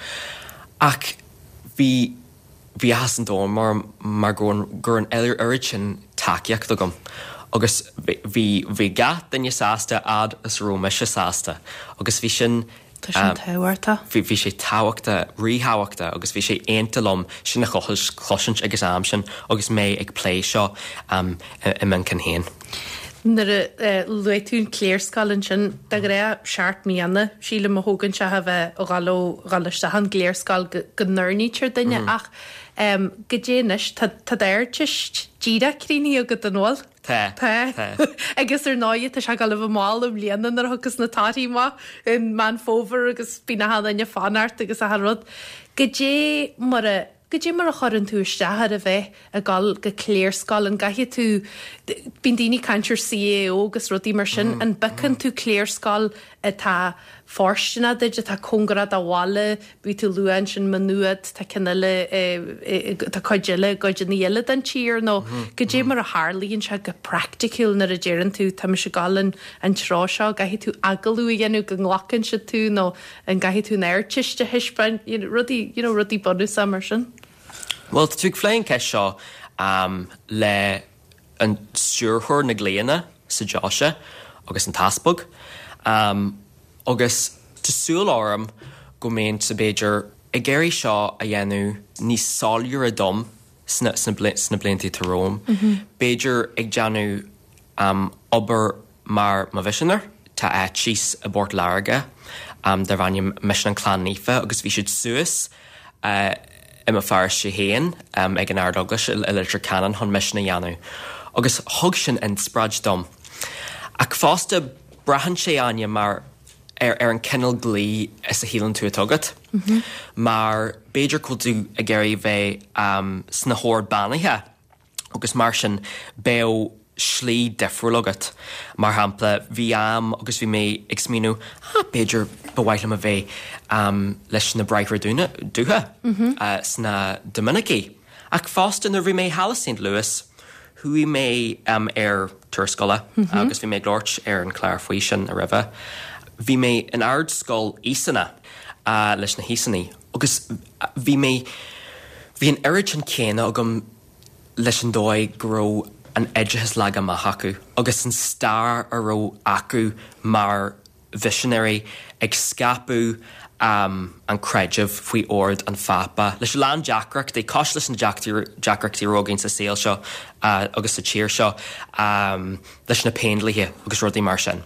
Ach bhí bhí áthas an domhain mar mar go gur an oiread sin tacaíocht agam. Agus bhí bhí gach duine sásta fhad is raibh mise sásta, agus bhí sin Tá sin tábhachtach. Bhí bhí sé tábhachtach ríthábhachtach agus bhí sé iontach liom sin a chloisint agus am sin agus mé ag plé seo um, i m'intinn féin. Nuair a luaigh tú an chléarscoil ansin de ghnáth seacht mbliana sílim a thógann sé a bheith ó dhul ó dhul isteach an ghléarscoil go n-oirnítear duine mm. ach um, goidé anois tá d'Ardteist díreach críochnaithe agat an bhfuil? Tá. Tá. Agus ar ndóigh tá sé ag dul a bheith mall i mbliana nuair a thiocfas na torthaí amach in Meán Fómhair agus bíonn achan duine ag fanacht agus achan rud. Goidé mar a goidé mar a chuireann tú isteach ar a bheith ag dul go cléarscoil an gcaithfidh tú bíonn daoine ag caint ar CAO agus rudaí mar sin an bpiocann tú cléarscoil atá fóirsteanach duit atá cóngarach do bhaile bhí tú luaigh ansin Maigh Nuad tá ceann eile tá cuid eile gcuideanna eile den tír nó goidé mar a tharlaíonn sé go praiticiúil nuair a deireann tú tá mise ag dul an an treo seo gcaithfidh tú agallamh a dhéanamh go nglacann siad tú nó an gcaithfidh tú an Ardteist a thaispeáint you know, rudaí you know, rudaí bunúsacha mar sin. Well tá tú ag plé an ceist seo um, le an stiúrthóir na glaonna sa deoise agus an t-easpag. Um, agus tá súil orm go mbeinn sa b'fhéidir ag iarraidh seo a dhéanamh níos soiléire dom sna, sna, sna blianta atá romham. Mm -hmm. B'fhéidir ag déanamh um, obair mar mo mhisinéir tá áit síos i bPort Láirge um, darb ainm Misean an Clann Naofa agus bhí siad suas uh, i mo pharóiste féin um, ag an Ardeaglais i Leitir Ceanainn chun misean a dhéanamh. Agus thug sin inspioráid dom. Ach fosta braitheann sé Áine mar ar, ar an cineál glao is a shíleann tú atá agat. Mm -hmm. Mar b'fhéidir go bhfuil tú ag iarraidh bheith um, sna hOird Beannaithe agus mar sin bheadh slí difriúil agat. Mar shampla bhí am agus bhí mé ag smaoineamh ah, b'fhéidir ba mhaith liom a bheith um, leis na Bráithre Dúiche mm -hmm. uh, sna Doiminicí. Ach fosta nuair bhí mé thall i St. Louis, Chuaigh mé um, ar turas scoile mm -hmm. agus bhí mé ag labhairt ar an chlár faoi sin a roimhe. Bhí mé in ardscoil Íosana uh, leis na hÍosanaigh agus bhí mé bhí an oiread sin céanna agam leis an dóigh go raibh an oideachas leagtha amach acu agus an stair a raibh acu mar mhisinéirí ag scaipeadh um, an creideamh faoi ord an Phápa. Leis lán deacrachtaí cos leis na deacrachtaí romhainn sa saol seo uh, agus sa tír seo um, leis na péindlíthe agus rudaí mar sin.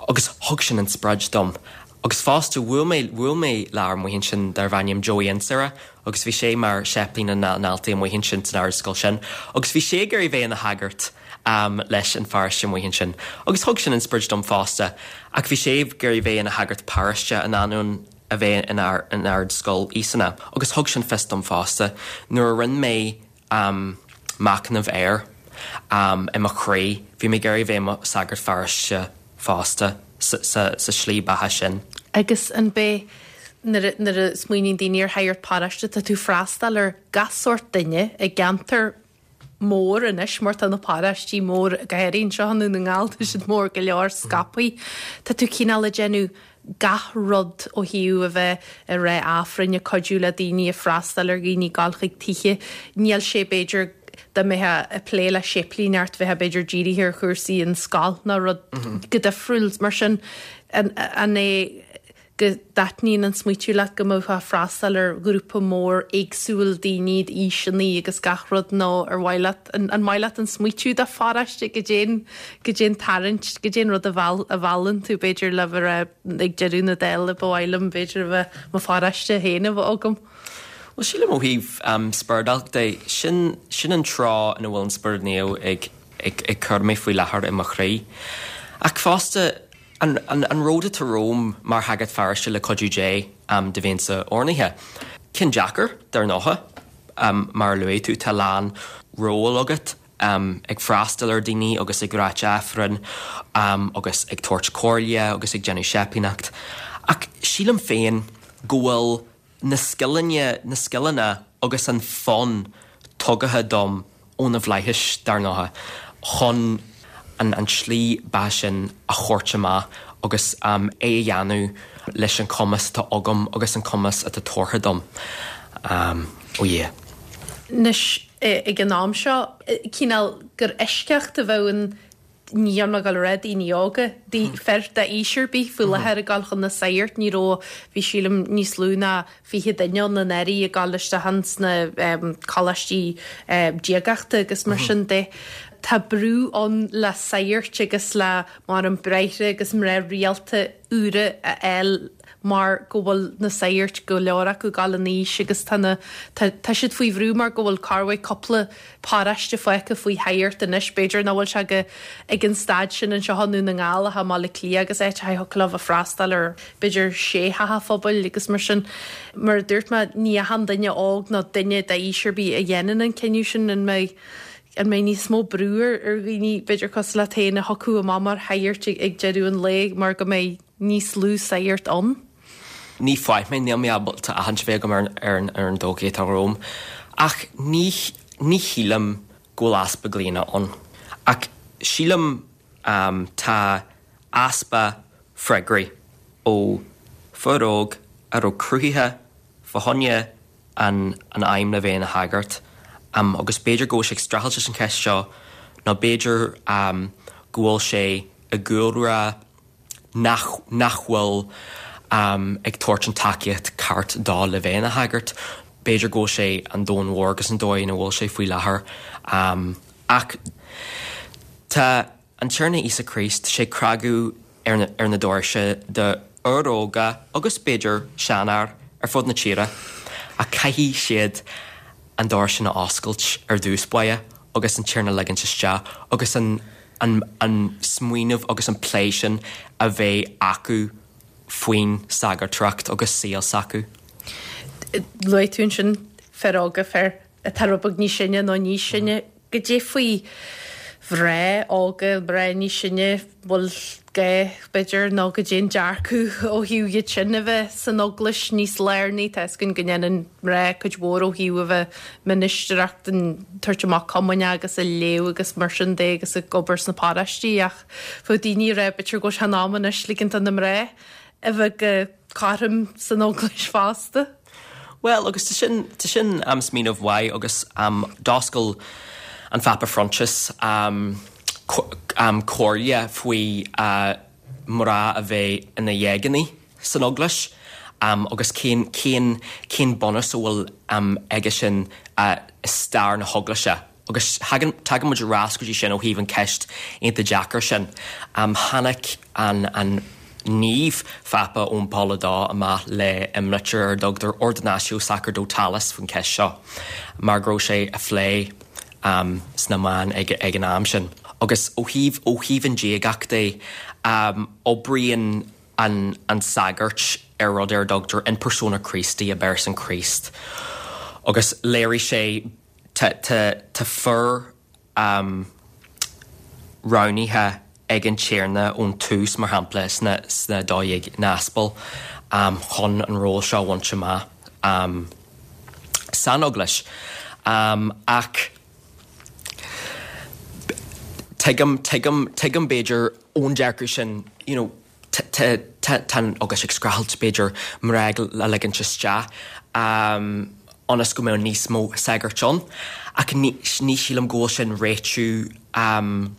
Agus thug sin inspioráid dom. Agus fosta bhuail mé bhuail mé le fear amuigh ansin darbh ainm Joey Insera, agus bhí sé mar séiplín na ndaltaí amuigh ansin san ardscoil sin, agus bhí sé ag iarraidh bheith ina shagart um, leis an pharóiste amuigh ansin. Agus thug sin inspioráid dom fosta, ach bhí sé ag iarraidh bheith ina shagart paróiste in ainneoin a bheith in ar in ardscoil Íosana. Agus thug sin fios dom fosta nuair a rinne mé um, machnamh air um, i mo chroí, bhí mé ag iarraidh bheith mo shagart pharóiste fosta sa, sa, sa slí beatha sin. Agus an bé nuair a smaoiníonn daoine ar shagart paróiste tá tú freastal ar gach sórt duine i gceantar mór anois mar tá na paróistí mór go háirithe anseo i nDún na nGall tá siad mór go leor scaipthe. Tá tú cineál ag déanamh gach rud ó thaobh a bheith ag rá Aifreann ag cuidiú le daoine ag freastal ar dhaoine ag gabháil chuig tithe. Níl sé b'fhéidir dá mbeifeá ag plé le séiplíneacht bheifeá b'fhéidir dírithe ar chúrsaí an scoil ná rud go difriúil mar sin an, an é go dtaitníonn an smaoitiú leat go mbeifeá ag freastal ar ghrúpa mór éagsúil daoine d'aoiseanna agus gach rud nó ar mhaith leat an, an maith leat an smaoitiú de pharóiste go dtéann go dtéann tarraingt go dtéann rud a mheall a mheallann tú b'fhéidir le bheith ag deireadh na dála ba mhaith liom b'fhéidir a bheith mo pharóiste féin a bheith agam. Well sílim ó thaobh um, spioradálta sin sin an tráth ina bhfuil an Spiorad Naomh ag, ag, ag cur mé faoi láthair i mo chroí. Ach fosta an, an, an ród atá romham mar shagart pharóiste le cuidiú Dé um, de bhéinsa ornaithe. Ceann deacair dar ndóigh um, mar luaigh tú tá lán ról agat um, ag freastal ar daoine agus ag ráit Aifreann um, agus ag tabhairt comhairle agus ag déanamh séiplíneacht. Ach sílim féin go bhfuil na scileanna na scileanna agus an fonn tugtha dom ó na flaithis dar ndóigh chun an, an slí beatha sin a thabhairt amach agus um, é a dhéanamh leis an cumas atá agam agus an cumas atá tugtha dom. Um, ó yeah. Anois ag an am seo cineál gur eisceacht a bheadh ann ní an go raibh daoine óga fir d'aois ar bith faoi láthair ag gabháil chun na sagart ní raibh bhí sílim níos lú ná fiche duine ann anuraidh ag gabháil isteach sna um, coláistí um, diagachta agus mar sin de. Tá brú ann le sagairt agus le mar an bráithre agus mná rialta úra a fháil mar go bhfuil na sagairt go leor acu ag dul in aois agus tá tá, tá siad faoi bhrú mar go bhfuil corrmhaith cúpla paróiste fágtha faoi shagart anois b'fhéidir nach bhfuil sé go ag an staid sin anseo i nDún na nGall i mBaile Átha Cliath agus é le a freastal ar b'fhéidir sé theach phobail agus mar sin mar dúirt mé ní achan duine óg ná duine d'aois ar bith a dhéanann an cinneadh sin an mbeidh an mbeidh níos mó brú ar ar dhaoine b'fhéidir cosúil leat féin a thiocfadh amach mar shagart ag deireadh an lae mar go mbeidh níos lú sagart ann. Ní fáid mé níl mé ábalta aithint bheith agam ar ar ar an dóigh atá romham. Ach ní ní shílim go bhfuil easpa glaonna ann. Ach sílim um, tá easpa freagraí ó fhear óg a raibh cruthaithe fá choinne an, an aidhm le bheith ina shagart. Um, agus b'fhéidir go bhfuil sé ag streachailt leis an cheist seo nó b'fhéidir um, go bhfuil sé i gcúlra nach, nach bhfuil um, ag tabhairt an tacaíocht ceart dó le bheith ina shagart. B'fhéidir go bhfuil sé an domhan mhór agus an dóigh ina bhfuil sé faoi láthair. Um, ach tá an Tiarna Íosa Críost sé cnagadh ar na, ar na doirse do fhir óga agus b'fhéidir seanfhear ar fud na tíre a caithfidh siad an doras sin a oscailt ar dtús báire agus an Tiarna ligint isteach agus an, an, an smaoineamh agus an plé sin a bheith acu faoin sagartacht agus saol s'acu. Luaigh tú ansin fir óga fir atá rud beag níos sine nó níos sine goidé faoi mhná óga mná níos sine bhfuil gá b'fhéidir nó goidé an dearcadh ó thaobh iad sin a bheith san eaglais níos lárnaí tá 'fhios againn go ndéanann mná cuid mhór ó thaobh a bheith ministireacht an tabhairt amach comaoine agus a léamh agus mar sin de agus ag obair sna paróistí ach bheadh daoine ag rá b'fhéidir go bhfuil sé in am anois ligint do na mná a bheith go cothrom san eaglais fosta. Well agus tá sin tá sin am smaoineamh mhaith agus um, d'oscail an Phápa Francis um, um, comhairle faoi uh, mná a bheith ina dhéagainí san eaglais um, agus cén cén cén bunús a bhfuil um, aige sin uh, i stair na heaglaise. Agus tagann muid ar ais go dtí sin ó thaobh an ceist iontach deacair sin. Um, tháinig an, an Naomh Phápa Eoin Pól a Dó amach le imlitir ar a dtugtar Ordinatio Sacerdotalis faoin ceist seo, mar go raibh sé á phlé um, sna meáin ag, ag an am sin. Agus ó thaobh ó thaobh an diagacht é um, oibríonn an, an sagart ar rud ar a dtugtar in persona Christi i bpearsan Chríost. Agus léirigh sé tá fir um, roghnaithe ag an Tiarna ón tús mar shampla sna, sna dó dhéag n-aspal um, chun an ról seo a bhaint amach um, san eaglais. Um, ach tuigim tuigim tuigim b'fhéidir ón dearcadh sin you know, tá an eaglais ag streachailt b'fhéidir mná a ligint isteach um, ionas go mbeadh níos mó sagart ann ach ní, ní sílim go bhfuil sin réitiú um,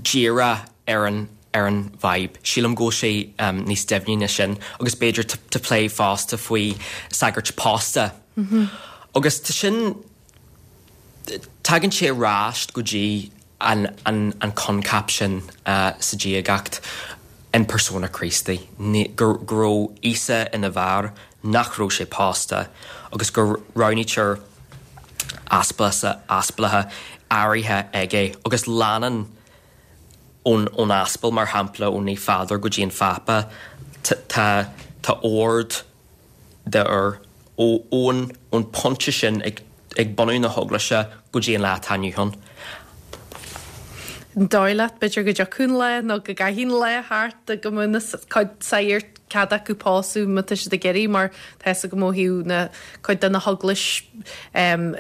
díreach ar an ar an bhfadhb. Sílim go bhfuil sé um, níos doimhne ná sin agus b'fhéidir tá plé fosta faoi sagairt pósta. Mm -hmm. Agus tá sin tagann sé ar ais go dtí an, an, an coincheap sin uh, sa diagacht in persona Christi, go raibh Íosa ina bhfear nach raibh sé pósta agus go roghnaítear aspalathe áirithe aige agus leanann ón ón aspal mar shampla ó Naomh Pheadar go dtí an Phápa tá tá ord d'fhir ó ón ón pointe sin ag ag bunú na heaglaise go dtí an lá atá inniu ann. An dóigh leat b'fhéidir go dtiocfaidh an lá nó go gcaithfidh an lá thart go mbeadh na cuid sagart cead acu pósadh má tá siad ag iarraidh mar tá 'fhios agam ó thaobh na cuid de na heaglais um,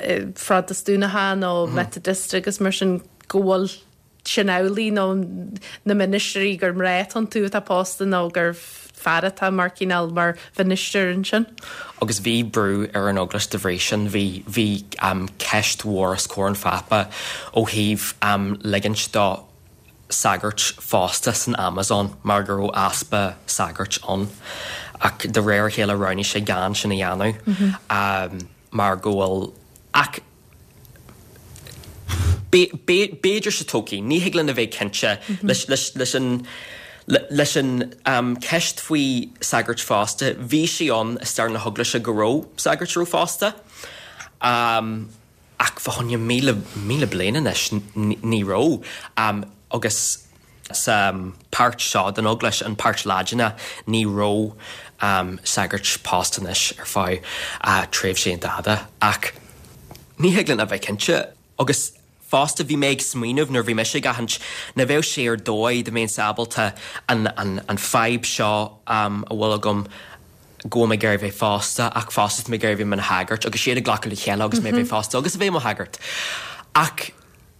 Phrotastúnacha nó mm. Methodist agus mar sin go bhfuil sin amhlaidh nó na ministrí gur mná iontu atá pósta nó gur fear atá mar cineál mar mhinistir ansin. Agus bhí brú ar an eaglais de bhrí sin bhí bhí um, ceist mhór os comhair an Phápa ó thaobh um, ligint do sagairt phósta san Amazon mar go raibh easpa sagairt ann ach de réir a chéile roghnaigh sé gan sin a dhéanamh mm -hmm. um, mar go bhfuil ach b'fhéidir sa todhchaí, ní thig linn a bheith cinnte mm -hmm. leis an leis an um, ceist faoi sagairt phósta, bhí sé ann i stair na heaglaise go raibh sagairt raibh pósta. Um, ach fá choinne míle míle bliain anois ní raibh um, agus sa um, páirt seo den eaglais an páirt Laidine ní raibh um, sagairt pósta anois ar feadh uh, tréimhse an-fhada ach ní thig linn a bheith cinnte agus fosta bhí mé ag smaoineamh nuair bhí mise ag aithint na bheadh sé ar dóigh do mbeinn ábalta an, an, an fadhb seo um, a bhfuil agam go mé ag bheith pósta ach fosta mé ag bheith i mo shagart agus siad ag glacadh le chéile agus mé bheith pósta agus a bheith i mo shagart. Ach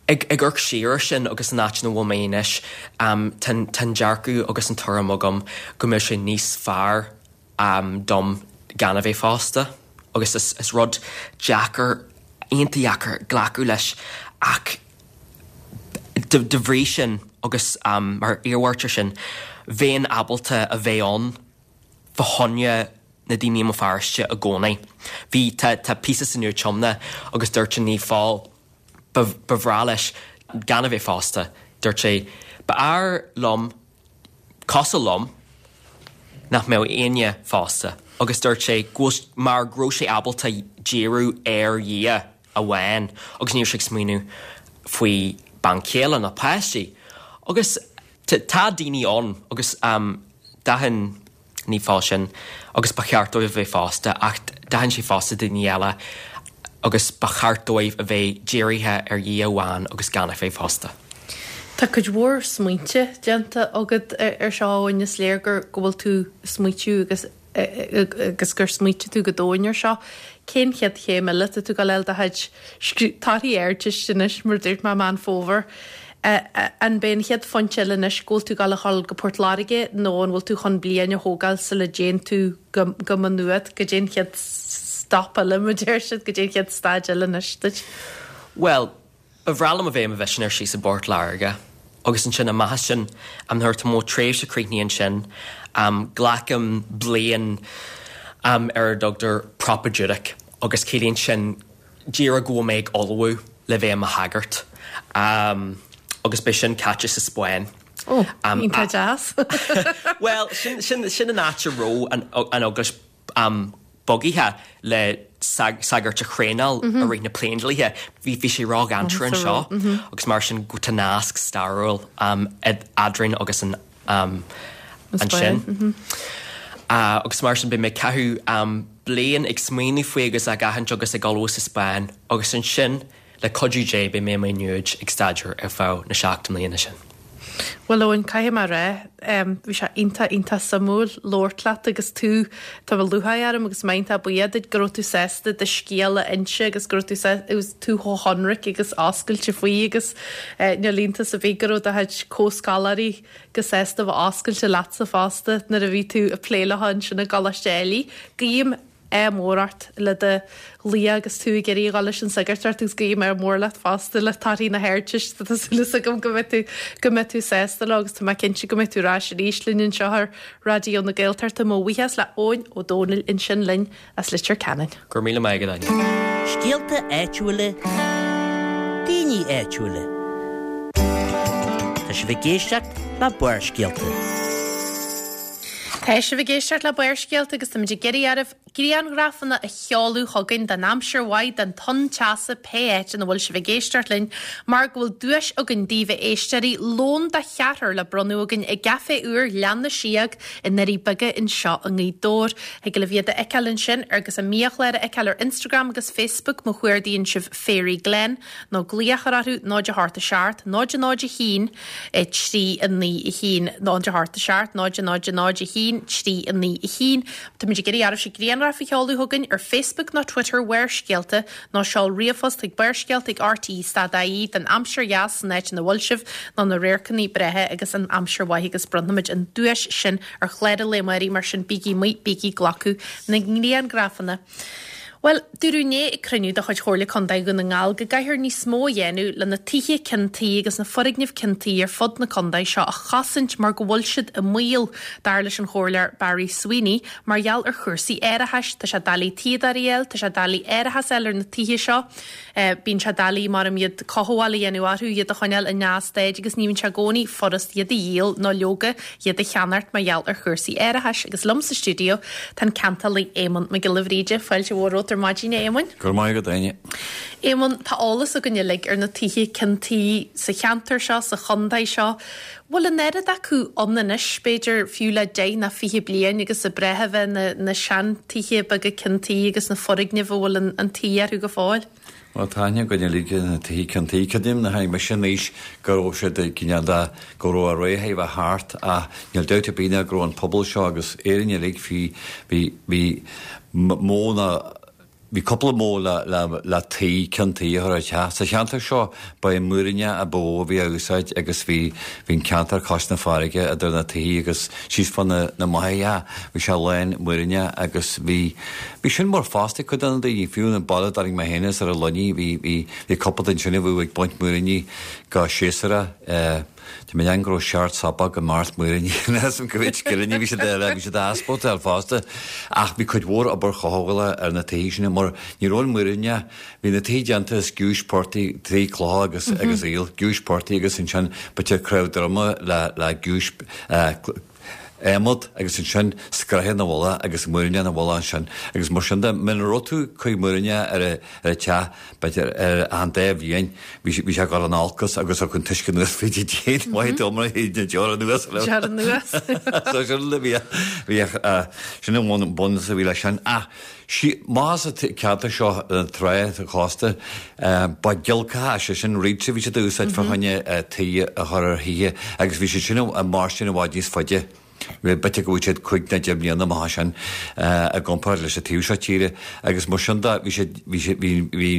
ag ag amharc siar sin agus an áit ina bhfuil mé anois um, tá dearcadh agus an tuairim agam go mbeadh sé níos fearr um, dom gan a bheith pósta agus is, is rud deacair iontach deacair glacadh leis ach de, de bhrí sin agus um, mar iarmhairt sin bheinn ábalta a bheith ann fá choinne na daoine i mo pharóiste i gcónaí. Bhí tá, tá píosa san Nua-Tiomna agus dúirt an Naomh Pól ba bhreá leis gan a bheith pósta, dúirt sé b'fhearr liom cosúil liom nach mbeadh éinne pósta agus dúirt sé mar go raibh sé ábalta díriú ar Dhia amháin agus ní raibh sé ag smaoineamh faoi bean chéile ná páistí. Agus tá daoine ann agus um, d'aithin Naomh Pól sin agus ba cheart dóibh a bheith pósta ach d'aithin sé fosta daoine eile agus ba cheart dóibh a bheith dírithe ar Dhia amháin agus gan a bheith pósta. Tá cuid mhór smaointe déanta agat ar seo Eoin, is léir gur go bhfuil tú ag smaoitiú agus agus gur smaoitigh tú go domhain ar seo. Cén chéad chéim eile tá tú ag gabháil do chuid torthaí Ardteiste anois mar dúirt mé Meán Fómhair. An b'é an chéad phointe eile anois go bhfuil tú ag gabháil a dhul go Port Láirge nó an bhfuil tú chun bliain a thógáil sula dtéann tú go go Maigh Nuad, goidé an chéad stop eile mar deir siad, goidé an chéad staid eile anois duit? Bhuel, ba bhreá liom a bheith i mo mhisinéir síos i bPort Láirge agus ansin amach as sin, nuair atá mo thréimhse críochnaithe ansin, glacaim bliain ar a dtugtar propedeutic agus ciallaíonn sin díreach go bhfuil mé ag ullmhú le bheith i mo shagart agus beidh sin caite sa Spáinn. Ó, iontach deas. Bhuel, sin, sin, sin an áit a raibh an, an eaglais bogaithe le sagairt a thraenáil i rith na bPléindlíthe. Bhí bhí sé ródhainséarach anseo agus mar sin go tá nasc stairiúil eadrainn agus an ansin. Agus mar sin beidh mé ag caitheamh bliain ag smaoineamh faoi agus ag aithint agus ag ullmhú sa Spáinn agus ansin le cuidiú Dé beidh mé i Maigh Nuad ag staidéar ar feadh na seacht mbliana sin. Bhuel Eoin, caithfidh mé a rá, bhí sé iontach, iontach suimiúil labhairt leat agus tú, tá lúcháir orm agus mé iontach buíoch duit go raibh tú sásta do scéal a inse agus go raibh tú agus tú chomh hionraic agus oscailte faoi agus níl iontas ar bith go raibh do chuid comhscoláirí go sásta bheith oscailte leatsa fosta nuair a bhí tú ag plé leo ansin i gColáiste Éilí. Guím ádh mór ort le do ghlaoch agus tú ag iarraidh a dhul leis an sagartacht agus guím ádh mór leat fosta le torthaí na hArdteiste. Tá súil agam go mbeidh tú go mbeidh tú sásta leo agus tá mé cinnte go mbeidh tú ar ais arís linn anseo ar Raidió na Gaeltachta. Mo bhuíochas le Eoin Ó Dónaill ansin linn as Leitir Ceanainn. Go raibh míle maith agat, Áine. Scéalta áitiúla, daoine áitiúla. Tá sibh ag éisteacht le Barrscéalta. Tá sibh ag éisteacht le Barrscéalta agus táimid ag iarraidh oraibh grianghrafanna a sheoladh chugainn den aimsir mhaith, den tonn teasa, pé áit ina bhfuil sibh ag éisteacht linn, mar go bhfuil duais againn daoibh a éisteoirí, lón do cheathrar le bronnadh againn i gcaifé úr Ghleann na Síóg i nDoirí Beaga anseo i nGaoth Dobhair. Thig libh iad a fheiceáil ansin agus a mbiachlár a fheiceáil ar Instagram agus Facebook má chuardaíonn sibh Fairy Glen nó glaoch a chur orthu náid a hocht a seacht, náid a náid a haon, trí a naoi a haon, náid a hocht a seacht, náid a náid a náid a haon, trí a naoi a haon. Táimid ag iarraidh oraibhse grianghraif a sheoladh chugainn ar Facebook nó Twitter Bharrscéalta nó seol ríomhphost chuig barrscéalta ag rte stad ie den aimsir dheas san áit ina bhfuil sibh nó na radharcanna breátha agus an aimsir mhaith agus bronnfaimid an duais sin ar chlár an lae amáirigh mar sin bígí amuigh, bígí ag glacadh na ngrianghrafanna. Bhuel, dúradh inné ag cruinniú de chuid Chomhairle Contae Dhún na nGall go gcaithfear níos mó a dhéanamh le na tithe ceann tuí agus na foirgnimh ceann tuí ar fud na contae seo a chosaint mar go bhfuil siad i mbaol, dar leis an Chomhairleoir Barry Sweeney, mar gheall ar chúrsaí árachais. Tá sé doiligh tuíodóirí a fháil, tá sé doiligh árachas a fháil ar na tithe seo. Bíonn sé doiligh mar iad cothabháil a dhéanamh orthu, iad a choinneáil i ndea-staid agus ní bhíonn sé i gcónaí furast iad a dhíol nó leoga iad a cheannacht mar gheall ar chúrsaí árachais. Agus liom sa stiúideo tá an ceantálaí Éamonn Mac Giolla Bhríde. Fáilte mhór romhat ar maidin, a Éamoinn. Go raibh maith agat, Áine. Éamonn, tá eolas againn uilig ar na tithe ceann tuí sa cheantar seo, sa chontae seo. Bhfuil an oiread acu ann anois, b'fhéidir fiú le deich ná fiche bliain agus ab breá a bheith na, na seantithe beaga ceann tuí agus na foirgnimh a bhfuil an, an tuí orthu go fóill? Bhuel, tá aithne againn uilig ar na tithe ceann tuí. Creidim nuair a tháinig mise in aois go raibh siad ag cineál de, go raibh a ré a bheith thart ach níl dabht ar bith ná go raibh an pobal seo agus Éirinn uilig bhí, bhí, bhí mó ná, Bhí cúpla modh le, le, le tuí, ceann tuí a chur ar theach. Sa cheantar seo, ba é múiríneach ab mhó a bhí á úsáid agus bhí, bhí an ceantar cois na farraige idir na tithe agus síos fá na, na machaire, bhí sé lán múiríneach agus bhí, bhí sin mar phost ag cuid de na daoine, fiú an baile a dtarraing mé féin as ar an Luinnigh, bhí, bhí, bhí cúpla duine ansin a bhíodh ag baint múiríní go séasúrach, eh, Tá mé an go raibh seacht sopóg i mbeart múiríní as an gcuid scileanna bhí siad eile, bhí siad á easpórtáil fosta. Ach bhí cuid mhór obair chothabhála ar na tithe sin mar ní raibh an múiríneach, bhí na tithe déanta as giúis portaigh, trí clocha agus agus aoil, giúis portaigh agus ansin b'fhéidir cnámh droma le le giúis adhmad agus ansin scraith ina mhullach agus múiríne ina mhullach ansin agus mar sin de muna raibh tú ag cur múiríne ar a ar a teach b'fhéidir ar an dá bhliain bhí bhí sé ag dul in olcas agus thug an t-uisce anuas fríd an díon maith dom na deora anuas Deora anuas. So sin a bhí bhí sin an bunús a bhí leis sin ach sí más sa ceantar seo an trá sa chósta ba giolcacha sé sin reeds a bhí siad a úsáid fá choinne tuí a chur ar thithe agus bhí siad sin ag mairstin i bhfad níos faide. B'fhéidir go bhfuil siad cúig nó deich mbliana amach sin i gcomparáid leis an taobh seo tíre agus mar sin de bhí siad bhí siad bhí bhí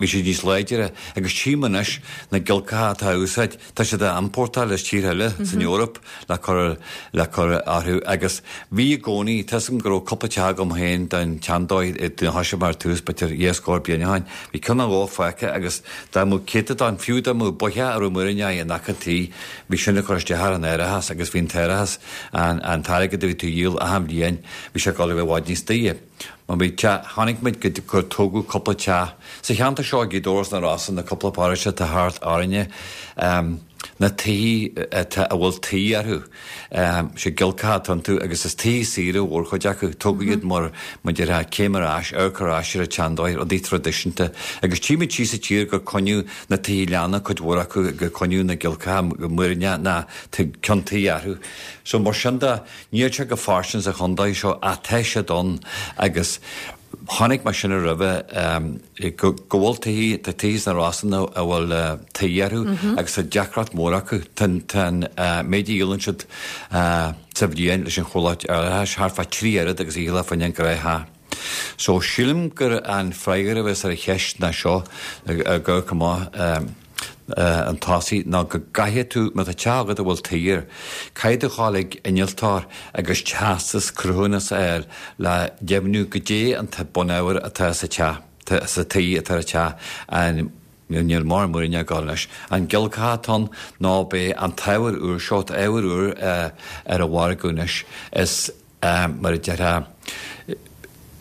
bhí siad níos láidire agus tchím anois na giolcacha atá á úsáid, tá siad á iompórtáil as tíortha eile san Eoraip le cur le cur orthu agus bhí i gcónaí, tá 'fhios agam go raibh cúpla teach agam féin den tseandóigh nuair a thosaigh mé ar tús b'fhéidir dhá scór bliain ó shin, bhí ceann nó dhó fágtha agus dá mbeadh céatadán, fiú dá mbeadh boitheach a raibh múiríní in aice an tí, bhí sin ag cur isteach ar an árachas agus bhí an t-árachas, an an t-airgead a bhí tú a dhíol achan bhliain, bhí sé ag dul a bheith i bhfad níos daoire. Má bhí teach, chonaic muid go gur tógadh cúpla teach sa cheantar seo, Gaoth Dobhair sna Rosa, na cúpla paróiste atá thart orainne, na tithe atá, a bhfuil tuí orthu, sé giolcacha atá iontu agus is tithe saoire mhórchuid acu, tógadh iad mar, mar déarfá, céim ar ais, amharc ar ais ar an tseandóigh, rudaí traidisiúnta. Agus tchímid síos sa tír gur coinníodh na tithe leanna, cuid mhór acu, gur coinníodh na giolcacha múiríní ná ceann tuí orthu. So mar sin de, níl sé go fairsing sa chontae seo ach tá siad ann agus chonaic mé sin roimhe go go bhfuil tithe, tá tithe sna Rosanna a bhfuil tuí orthu agus tá deacracht mór acu. Tá an tá an méid a dhíolann siad sa bhliain leis an chomhlacht árachais thart fá trí oiread agus a dhíolfá fá choinne an gnáth-theach. So sílim gur an freagra a bheas ar an cheist ná seo, ag amharc amach, an tosaigh ná go gcaithfidh tú, má tá teach agat a bhfuil tuí air, caithfidh tú a ghabháil ag innealtóir agus teastas cruthúnas a fháil le deimhniú goidé an bunábhar atá sa teach, sa tuí atá ar an teach, an, níl mórán múiríní ag dul anois, an giolcacha atá ann nó b'é an t-ábhar úr seo, tá ábhar úr ar an mhargadh anois, is mar a déarfá,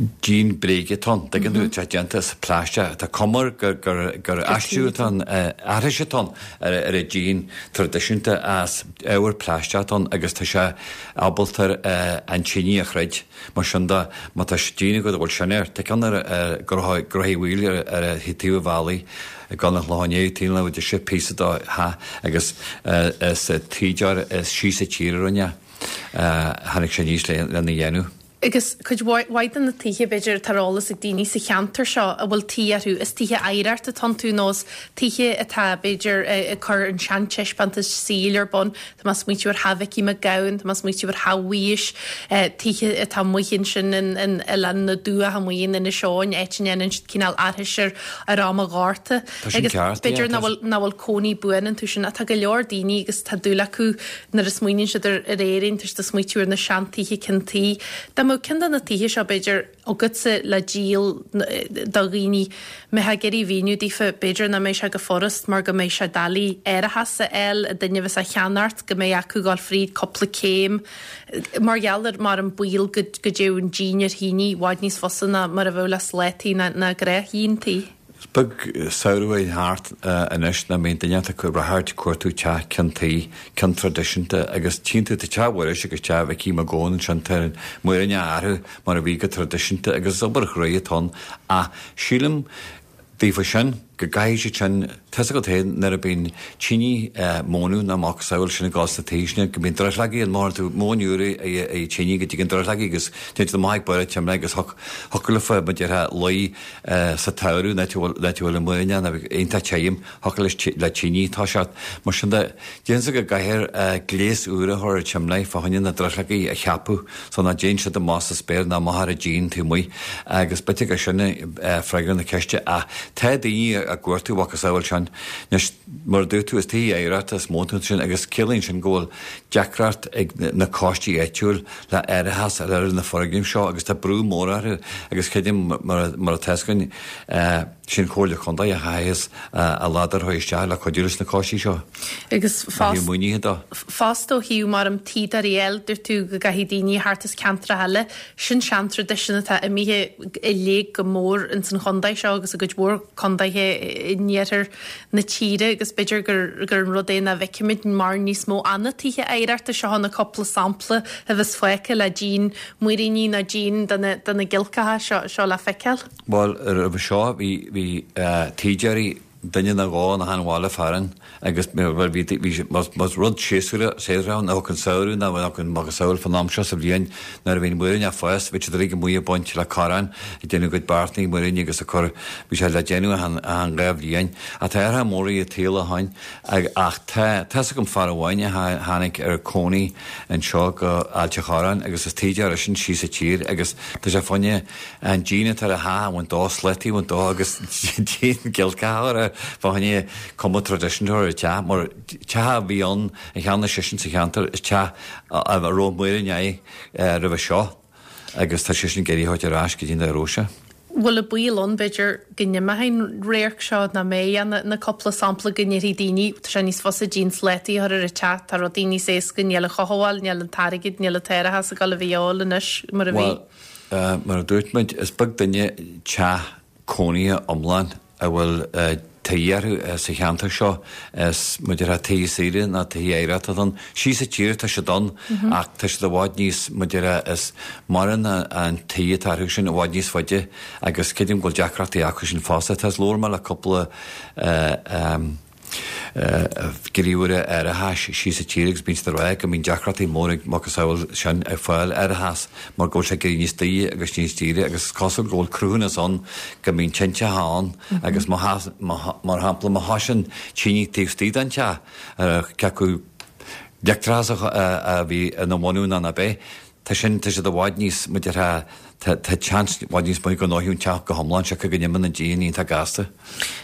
díon bréige atá ann, tuigeann tú, tá sé déanta as plaisteach, tá cuma air gur, gur, gur aistriú atá ann, aithris atá ann ar, ar an díon traidisiúnta as ábhar plaisteach atá ann agus tá sé ábalta an tine a throid. Mar sin de, má tá díon agat a bhfuil sin air, tá ceann ar, ar Ghraithí Mhaoil ar, ar thaobh an bhealaigh ag dul an Chlocháin Léith, taobh le deise píosa do theach agus is tuíodóir as síos an tír a rinne é. Tháinig sé aníos lena dhéanamh. Agus cuid mhaith de na tithe, b'fhéidir, atá ar eolas ag daoine sa cheantar seo a bhfuil tuí orthu, is tithe oidhreachta atá iontu nó is tithe atá, b'fhéidir, ag cur an seantaispeántas saoil ar bun. Tá mé ag smaoitiú ar Theach Mhicí Mac Gabhann, tá mé ag smaoitiú ar Theach Mhuiris, tithe atá amuigh ansin in Oileán na dTuath amuigh in Inis Eoghain, áit a ndéanann siad cineál aithris ar ar am an Ghorta. Tá sin Agus ceart, yeah. b'fhéidir nach bhfuil nach bhfuil cónaí buan iontu sin ach tá go leor daoine agus tá dúil acu nuair a smaoiníonn siad ar ar Éirinn, tá siad ag smaoitiú ar na seantithe ceann tuí. Dá mbeadh ceann de na tithe seo, b'fhéidir, agatsa le díol do dhaoine, mbeifeá ag iarraidh mhíniú daofa, b'fhéidir nach mbeidh sé go furast mar go mbeidh sé doiligh árachas a fháil ag duine a bheas á cheannacht, go mbeidh acu dul fríd cúpla céim mar gheall ar mar an baol go go dtéadh an díon ar thine i bhfad níos fusa ná mar a bheadh le slátaí ná gnáthdhíon tí. Is beag samhradh a théann thart anois nach mbíonn duine ag ráchairt ag cuartú teach ceann tuí, ceann traidisiúnta agus tchíonn tú, tá teach Mhuiris agus teach Mhicí Mac Gabhann ansin, tá an múiríní orthu mar a bhí go traidisiúnta agus is obair ghroí atá ann ach sílim daofa sin go gcaithfidh siad sin, tá 'fhios agat féin nuair a bíonn tine mónadh nó macasamhail sin ag dul sna tithe sin go mbíonn drithleogaí ann, má théann tú móin úr i tine go dtigeann drithleogaí agus téann siad amach ag barr an tsimléir agus thiocfadh leofa mar a déarfá luí sa tsamhradh an áit a bhfuil an múiríní ann iontach tirim, thiocfadh le tine toiseacht. Mar sin de, déarfainnse go gcaithfear gléas úr a chur ar an tsimléar fá choinne na drithleogaí a cheapadh so nach dtéann siad amach sa spéir ná amach ar an díon taobh amuigh agus b'fhéidir gur sin freagra na ceiste ach tá daoine ag cuartú macasamhail sin. Anois, mar a dúirt tú, is tithe oidhreachta is mó atá ansin agus ciallaíonn sin go bhfuil deacracht ag na coistí áitiúil le árachas a fháil ar na foirgnimh seo agus tá brú mór orthu agus creidim mar atá 'fhios againn Sin Comhairle Contae a chaitheas a ladar a isteach le cuidiú leis na coistí seo. Agus maoinithe dó. Fosta ó thaobh mar an tuíodóirí eile, dúirt tú go gcaithfidh daoine thart as ceantracha eile, sin seantraidisiún atá imithe i léig go mór ins an chontae seo agus i gcuid mhór contaetha in iarthar na tíre agus b'fhéidir gur gur an rud é nach bhfeicimid mar níos mó ana tithe oidhreachta seo na cúpla sampla a bheas fágtha le díon muiríní nó díon de na de na giolcacha seo seo le feiceáil. Bhuel, roimhe seo bhí bhí tuíodóirí duine nó dhó in achan bhaile fearainn agus bhí bhí más rud séasúrach séasúrach ann an samhradh nó an macasamhail fan am seo sa bhliain nuair a bhí an muirín ag fás bhí siad uilig amuigh ag baint le corrán ag déanamh a gcuid beartnaí muiríní agus a cur bhí sé le déanamh achan achan dhá bhliain ach tá athruithe móra i tsaol ó shin ach tá tá's agam fear amháin a tháinig ar cónaí anseo go Ailt a' Chorráin agus is tuíodóir eisean síos sa tír agus tá sé fá choinne an díon atá ar a theach a bhaint dó, slataí a bhaint dó agus díon giolcach a chur air fá choinne cuma traidisiúnta ar an teach mar teach a bhí ann a cheannaigh seisean sa cheantar is teach a raibh muirín air roimhe seo agus tá seisean ag iarraidh a thabhairt ar ais go dtí an raibh sé. Bhfuil an baol ann, b'fhéidir, go n-imeoidh an radharc seo, nach mbeidh ach na cúpla sampla go ndéarfaidh daoine, tá sé níos fusa díon slátaí a chur ar an teach, tá rudaí níos éasca, níl an chothabháil, níl an t-airgead, níl an t-árachas ag dul a bheith de dhíobháil anois mar a bhí. Bhuel, mar a dúirt muid, is beag duine teach cónaithe iomlán a bhfuil tuí orthu sa cheantar seo. Is mar a déarfá tithe saoire ná tithe oidhreachta atá ann. Síos sa tír tá siad ann ach tá siad i bhfad níos, mar a déarfá, is maireann an tuí atá orthu sin i bhfad níos faide agus creidim go bhfuil deacrachtaí acu sin fosta. Tá, labhair mé le cúpla gníomhaire árachais síos sa tír agus bíonn siad ag rá go mbíonn deacrachtaí móra ag macasamhail sin ag fáil árachas mar go bhfuil sé ag éirí níos daoire agus níos daoire agus is cosúil go bhfuil cruthúnas ann go mbíonn tinteacha ann agus mar shampla má thosaíonn tine taobh istigh den teach cé acu leictreachas a bhí ina bhunú nó ná bith, tá sin, tá siad i bhfad níos, mar a déarfá, tá, tá seans i bhfad níos mó go ndófaidh an teach go hiomlán siocair go n-imíonn an díon iontach gasta.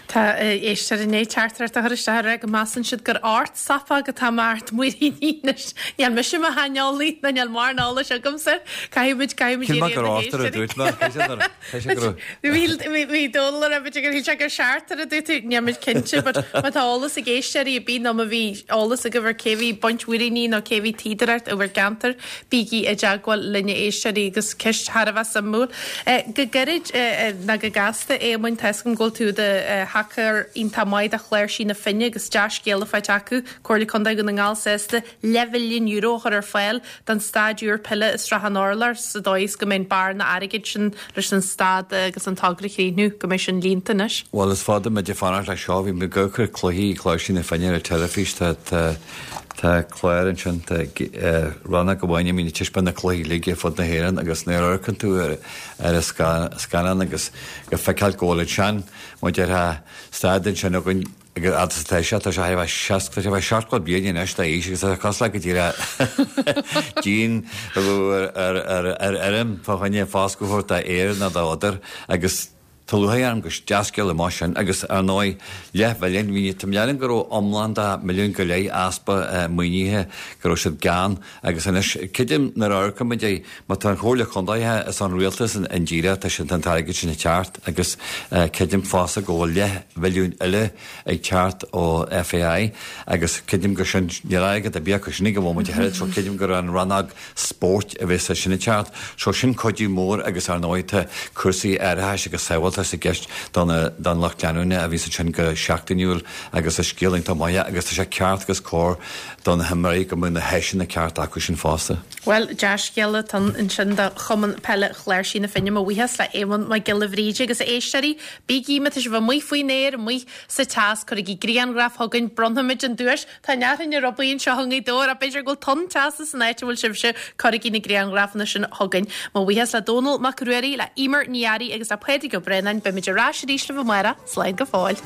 Tá éisteoir i ndiaidh teachtaireacht a chur isteach ag rá go measann siad gur ort sopóg atá mart muiríní anois. Níl mise i mo shaineolaí ná níl mórán eolais agamsa. Caithfidh muid, caithfidh muid Shíl mé iarraidh gur ar na ortar a héisteoirí. dúirt mé, cé sé gur, cé sé gur. Bhí, bhí, bhí Dónal ag rá b'fhéidir gur shíl sé gur seachtar a dúirt tú, níl muid cinnte, but má tá eolas ag éisteoirí ar bith nó má bhí eolas agaibh ar cé bhí ag baint mhuiríní nó cé bhí ag tuíodóireacht i bhur gceantar, bígí i dteagmháil linn a éisteoirí agus ceist thar a bheith suimiúil. Go gairid ná go gasta, a Éamoinn, tá 'fhios agam go bhfuil tú i do thacóir iontach maith do Chláirsí na Finne agus dea-scéala faighte acu, Comhairle Contae Dhún na nGall sásta leathmhilliún euro a chur ar fáil don staid úr peile i Srath an Urláir sa dóigh is go mbeidh an bearna airgid sin leis an staid agus an togra a chríochnú, go mbeidh sin líonta anois. Bhuel, is fada muid ag fanacht leis seo. Bhí muid ag amharc ar cluichí Chláirsí na Finne ar an teilifís. Tá, tá, tá clár ansin, tá rannóg amháin a mbíonn ag taispeáint na cluichí uilig ar fud na hÉireann agus nuair a amharcann tú ar, ar an scannán agus ag feiceáil go bhfuil an sean, mar a déarfá, staid ansin againn agus fhad is atá sé, tá sé thar a bheith seasca, tá sé a bheith seachtó bliain anois d'aois agus tá sé cosúil le go díreach díon a bheadh ar, ar, ar fheirm fá choinne foscadh a thabhairt d'fhéar nó d'fhódar agus Tá lúcháir orm gur dea-scéala maith sin agus, ar ndóigh, leathmhilliún, bhí, tá mé ag go raibh iomlán de milliún go leith easpa maoinithe, go raibh siad gann agus anois, creidim nuair a amharcaimid é, má tá an Chomhairle Contae is an Rialtas indíreach, tá sin, tá an t-airgead sin ag teacht agus creidim fosta go bhfuil leathmhilliún eile ag teacht ó FAI agus creidim gur sin, níl airgead ar bith acu sin ag an bhomaite a thuilleadh so creidim gur an rannóg spóirt a bheas sin ag teacht. So sin cuidiú mór agus ar ndóigh tá cúrsaí árachais agus sábháilteachta i gceist don don lucht leanúna a bhíos ansin go seachtainiúil agus is scéal iontach maith é agus tá sé ceart agus cóir do na himreoirí go mbeadh na háiseanna cearta acu sin fosta. Bhuel, dea-scéala atá ansin do Chumann Peile Chláirsí na Finne. Mo bhuíochas le Éamonn Mac Giolla Bhríde agus a éisteoirí, bígí má tá sibh amuigh faoin aer, amuigh sa teas, cuirigí grianghraf chugainn, bronnfaimid an duais. Tá an fhearthainn ar obair anseo i nGaoth Dobhair ach b'fhéidir go bhfuil tonn teasa san áit a bhfuil sibhse, cuirigí na grianghrafanna sin chugainn. Mo bhuíochas le Dónall Mac Ruairí, le Emer Ní Fhearraigh agus le Pádraig Ó Braonáin. Beimid ar ais arís libh amárach. Slán go fóill.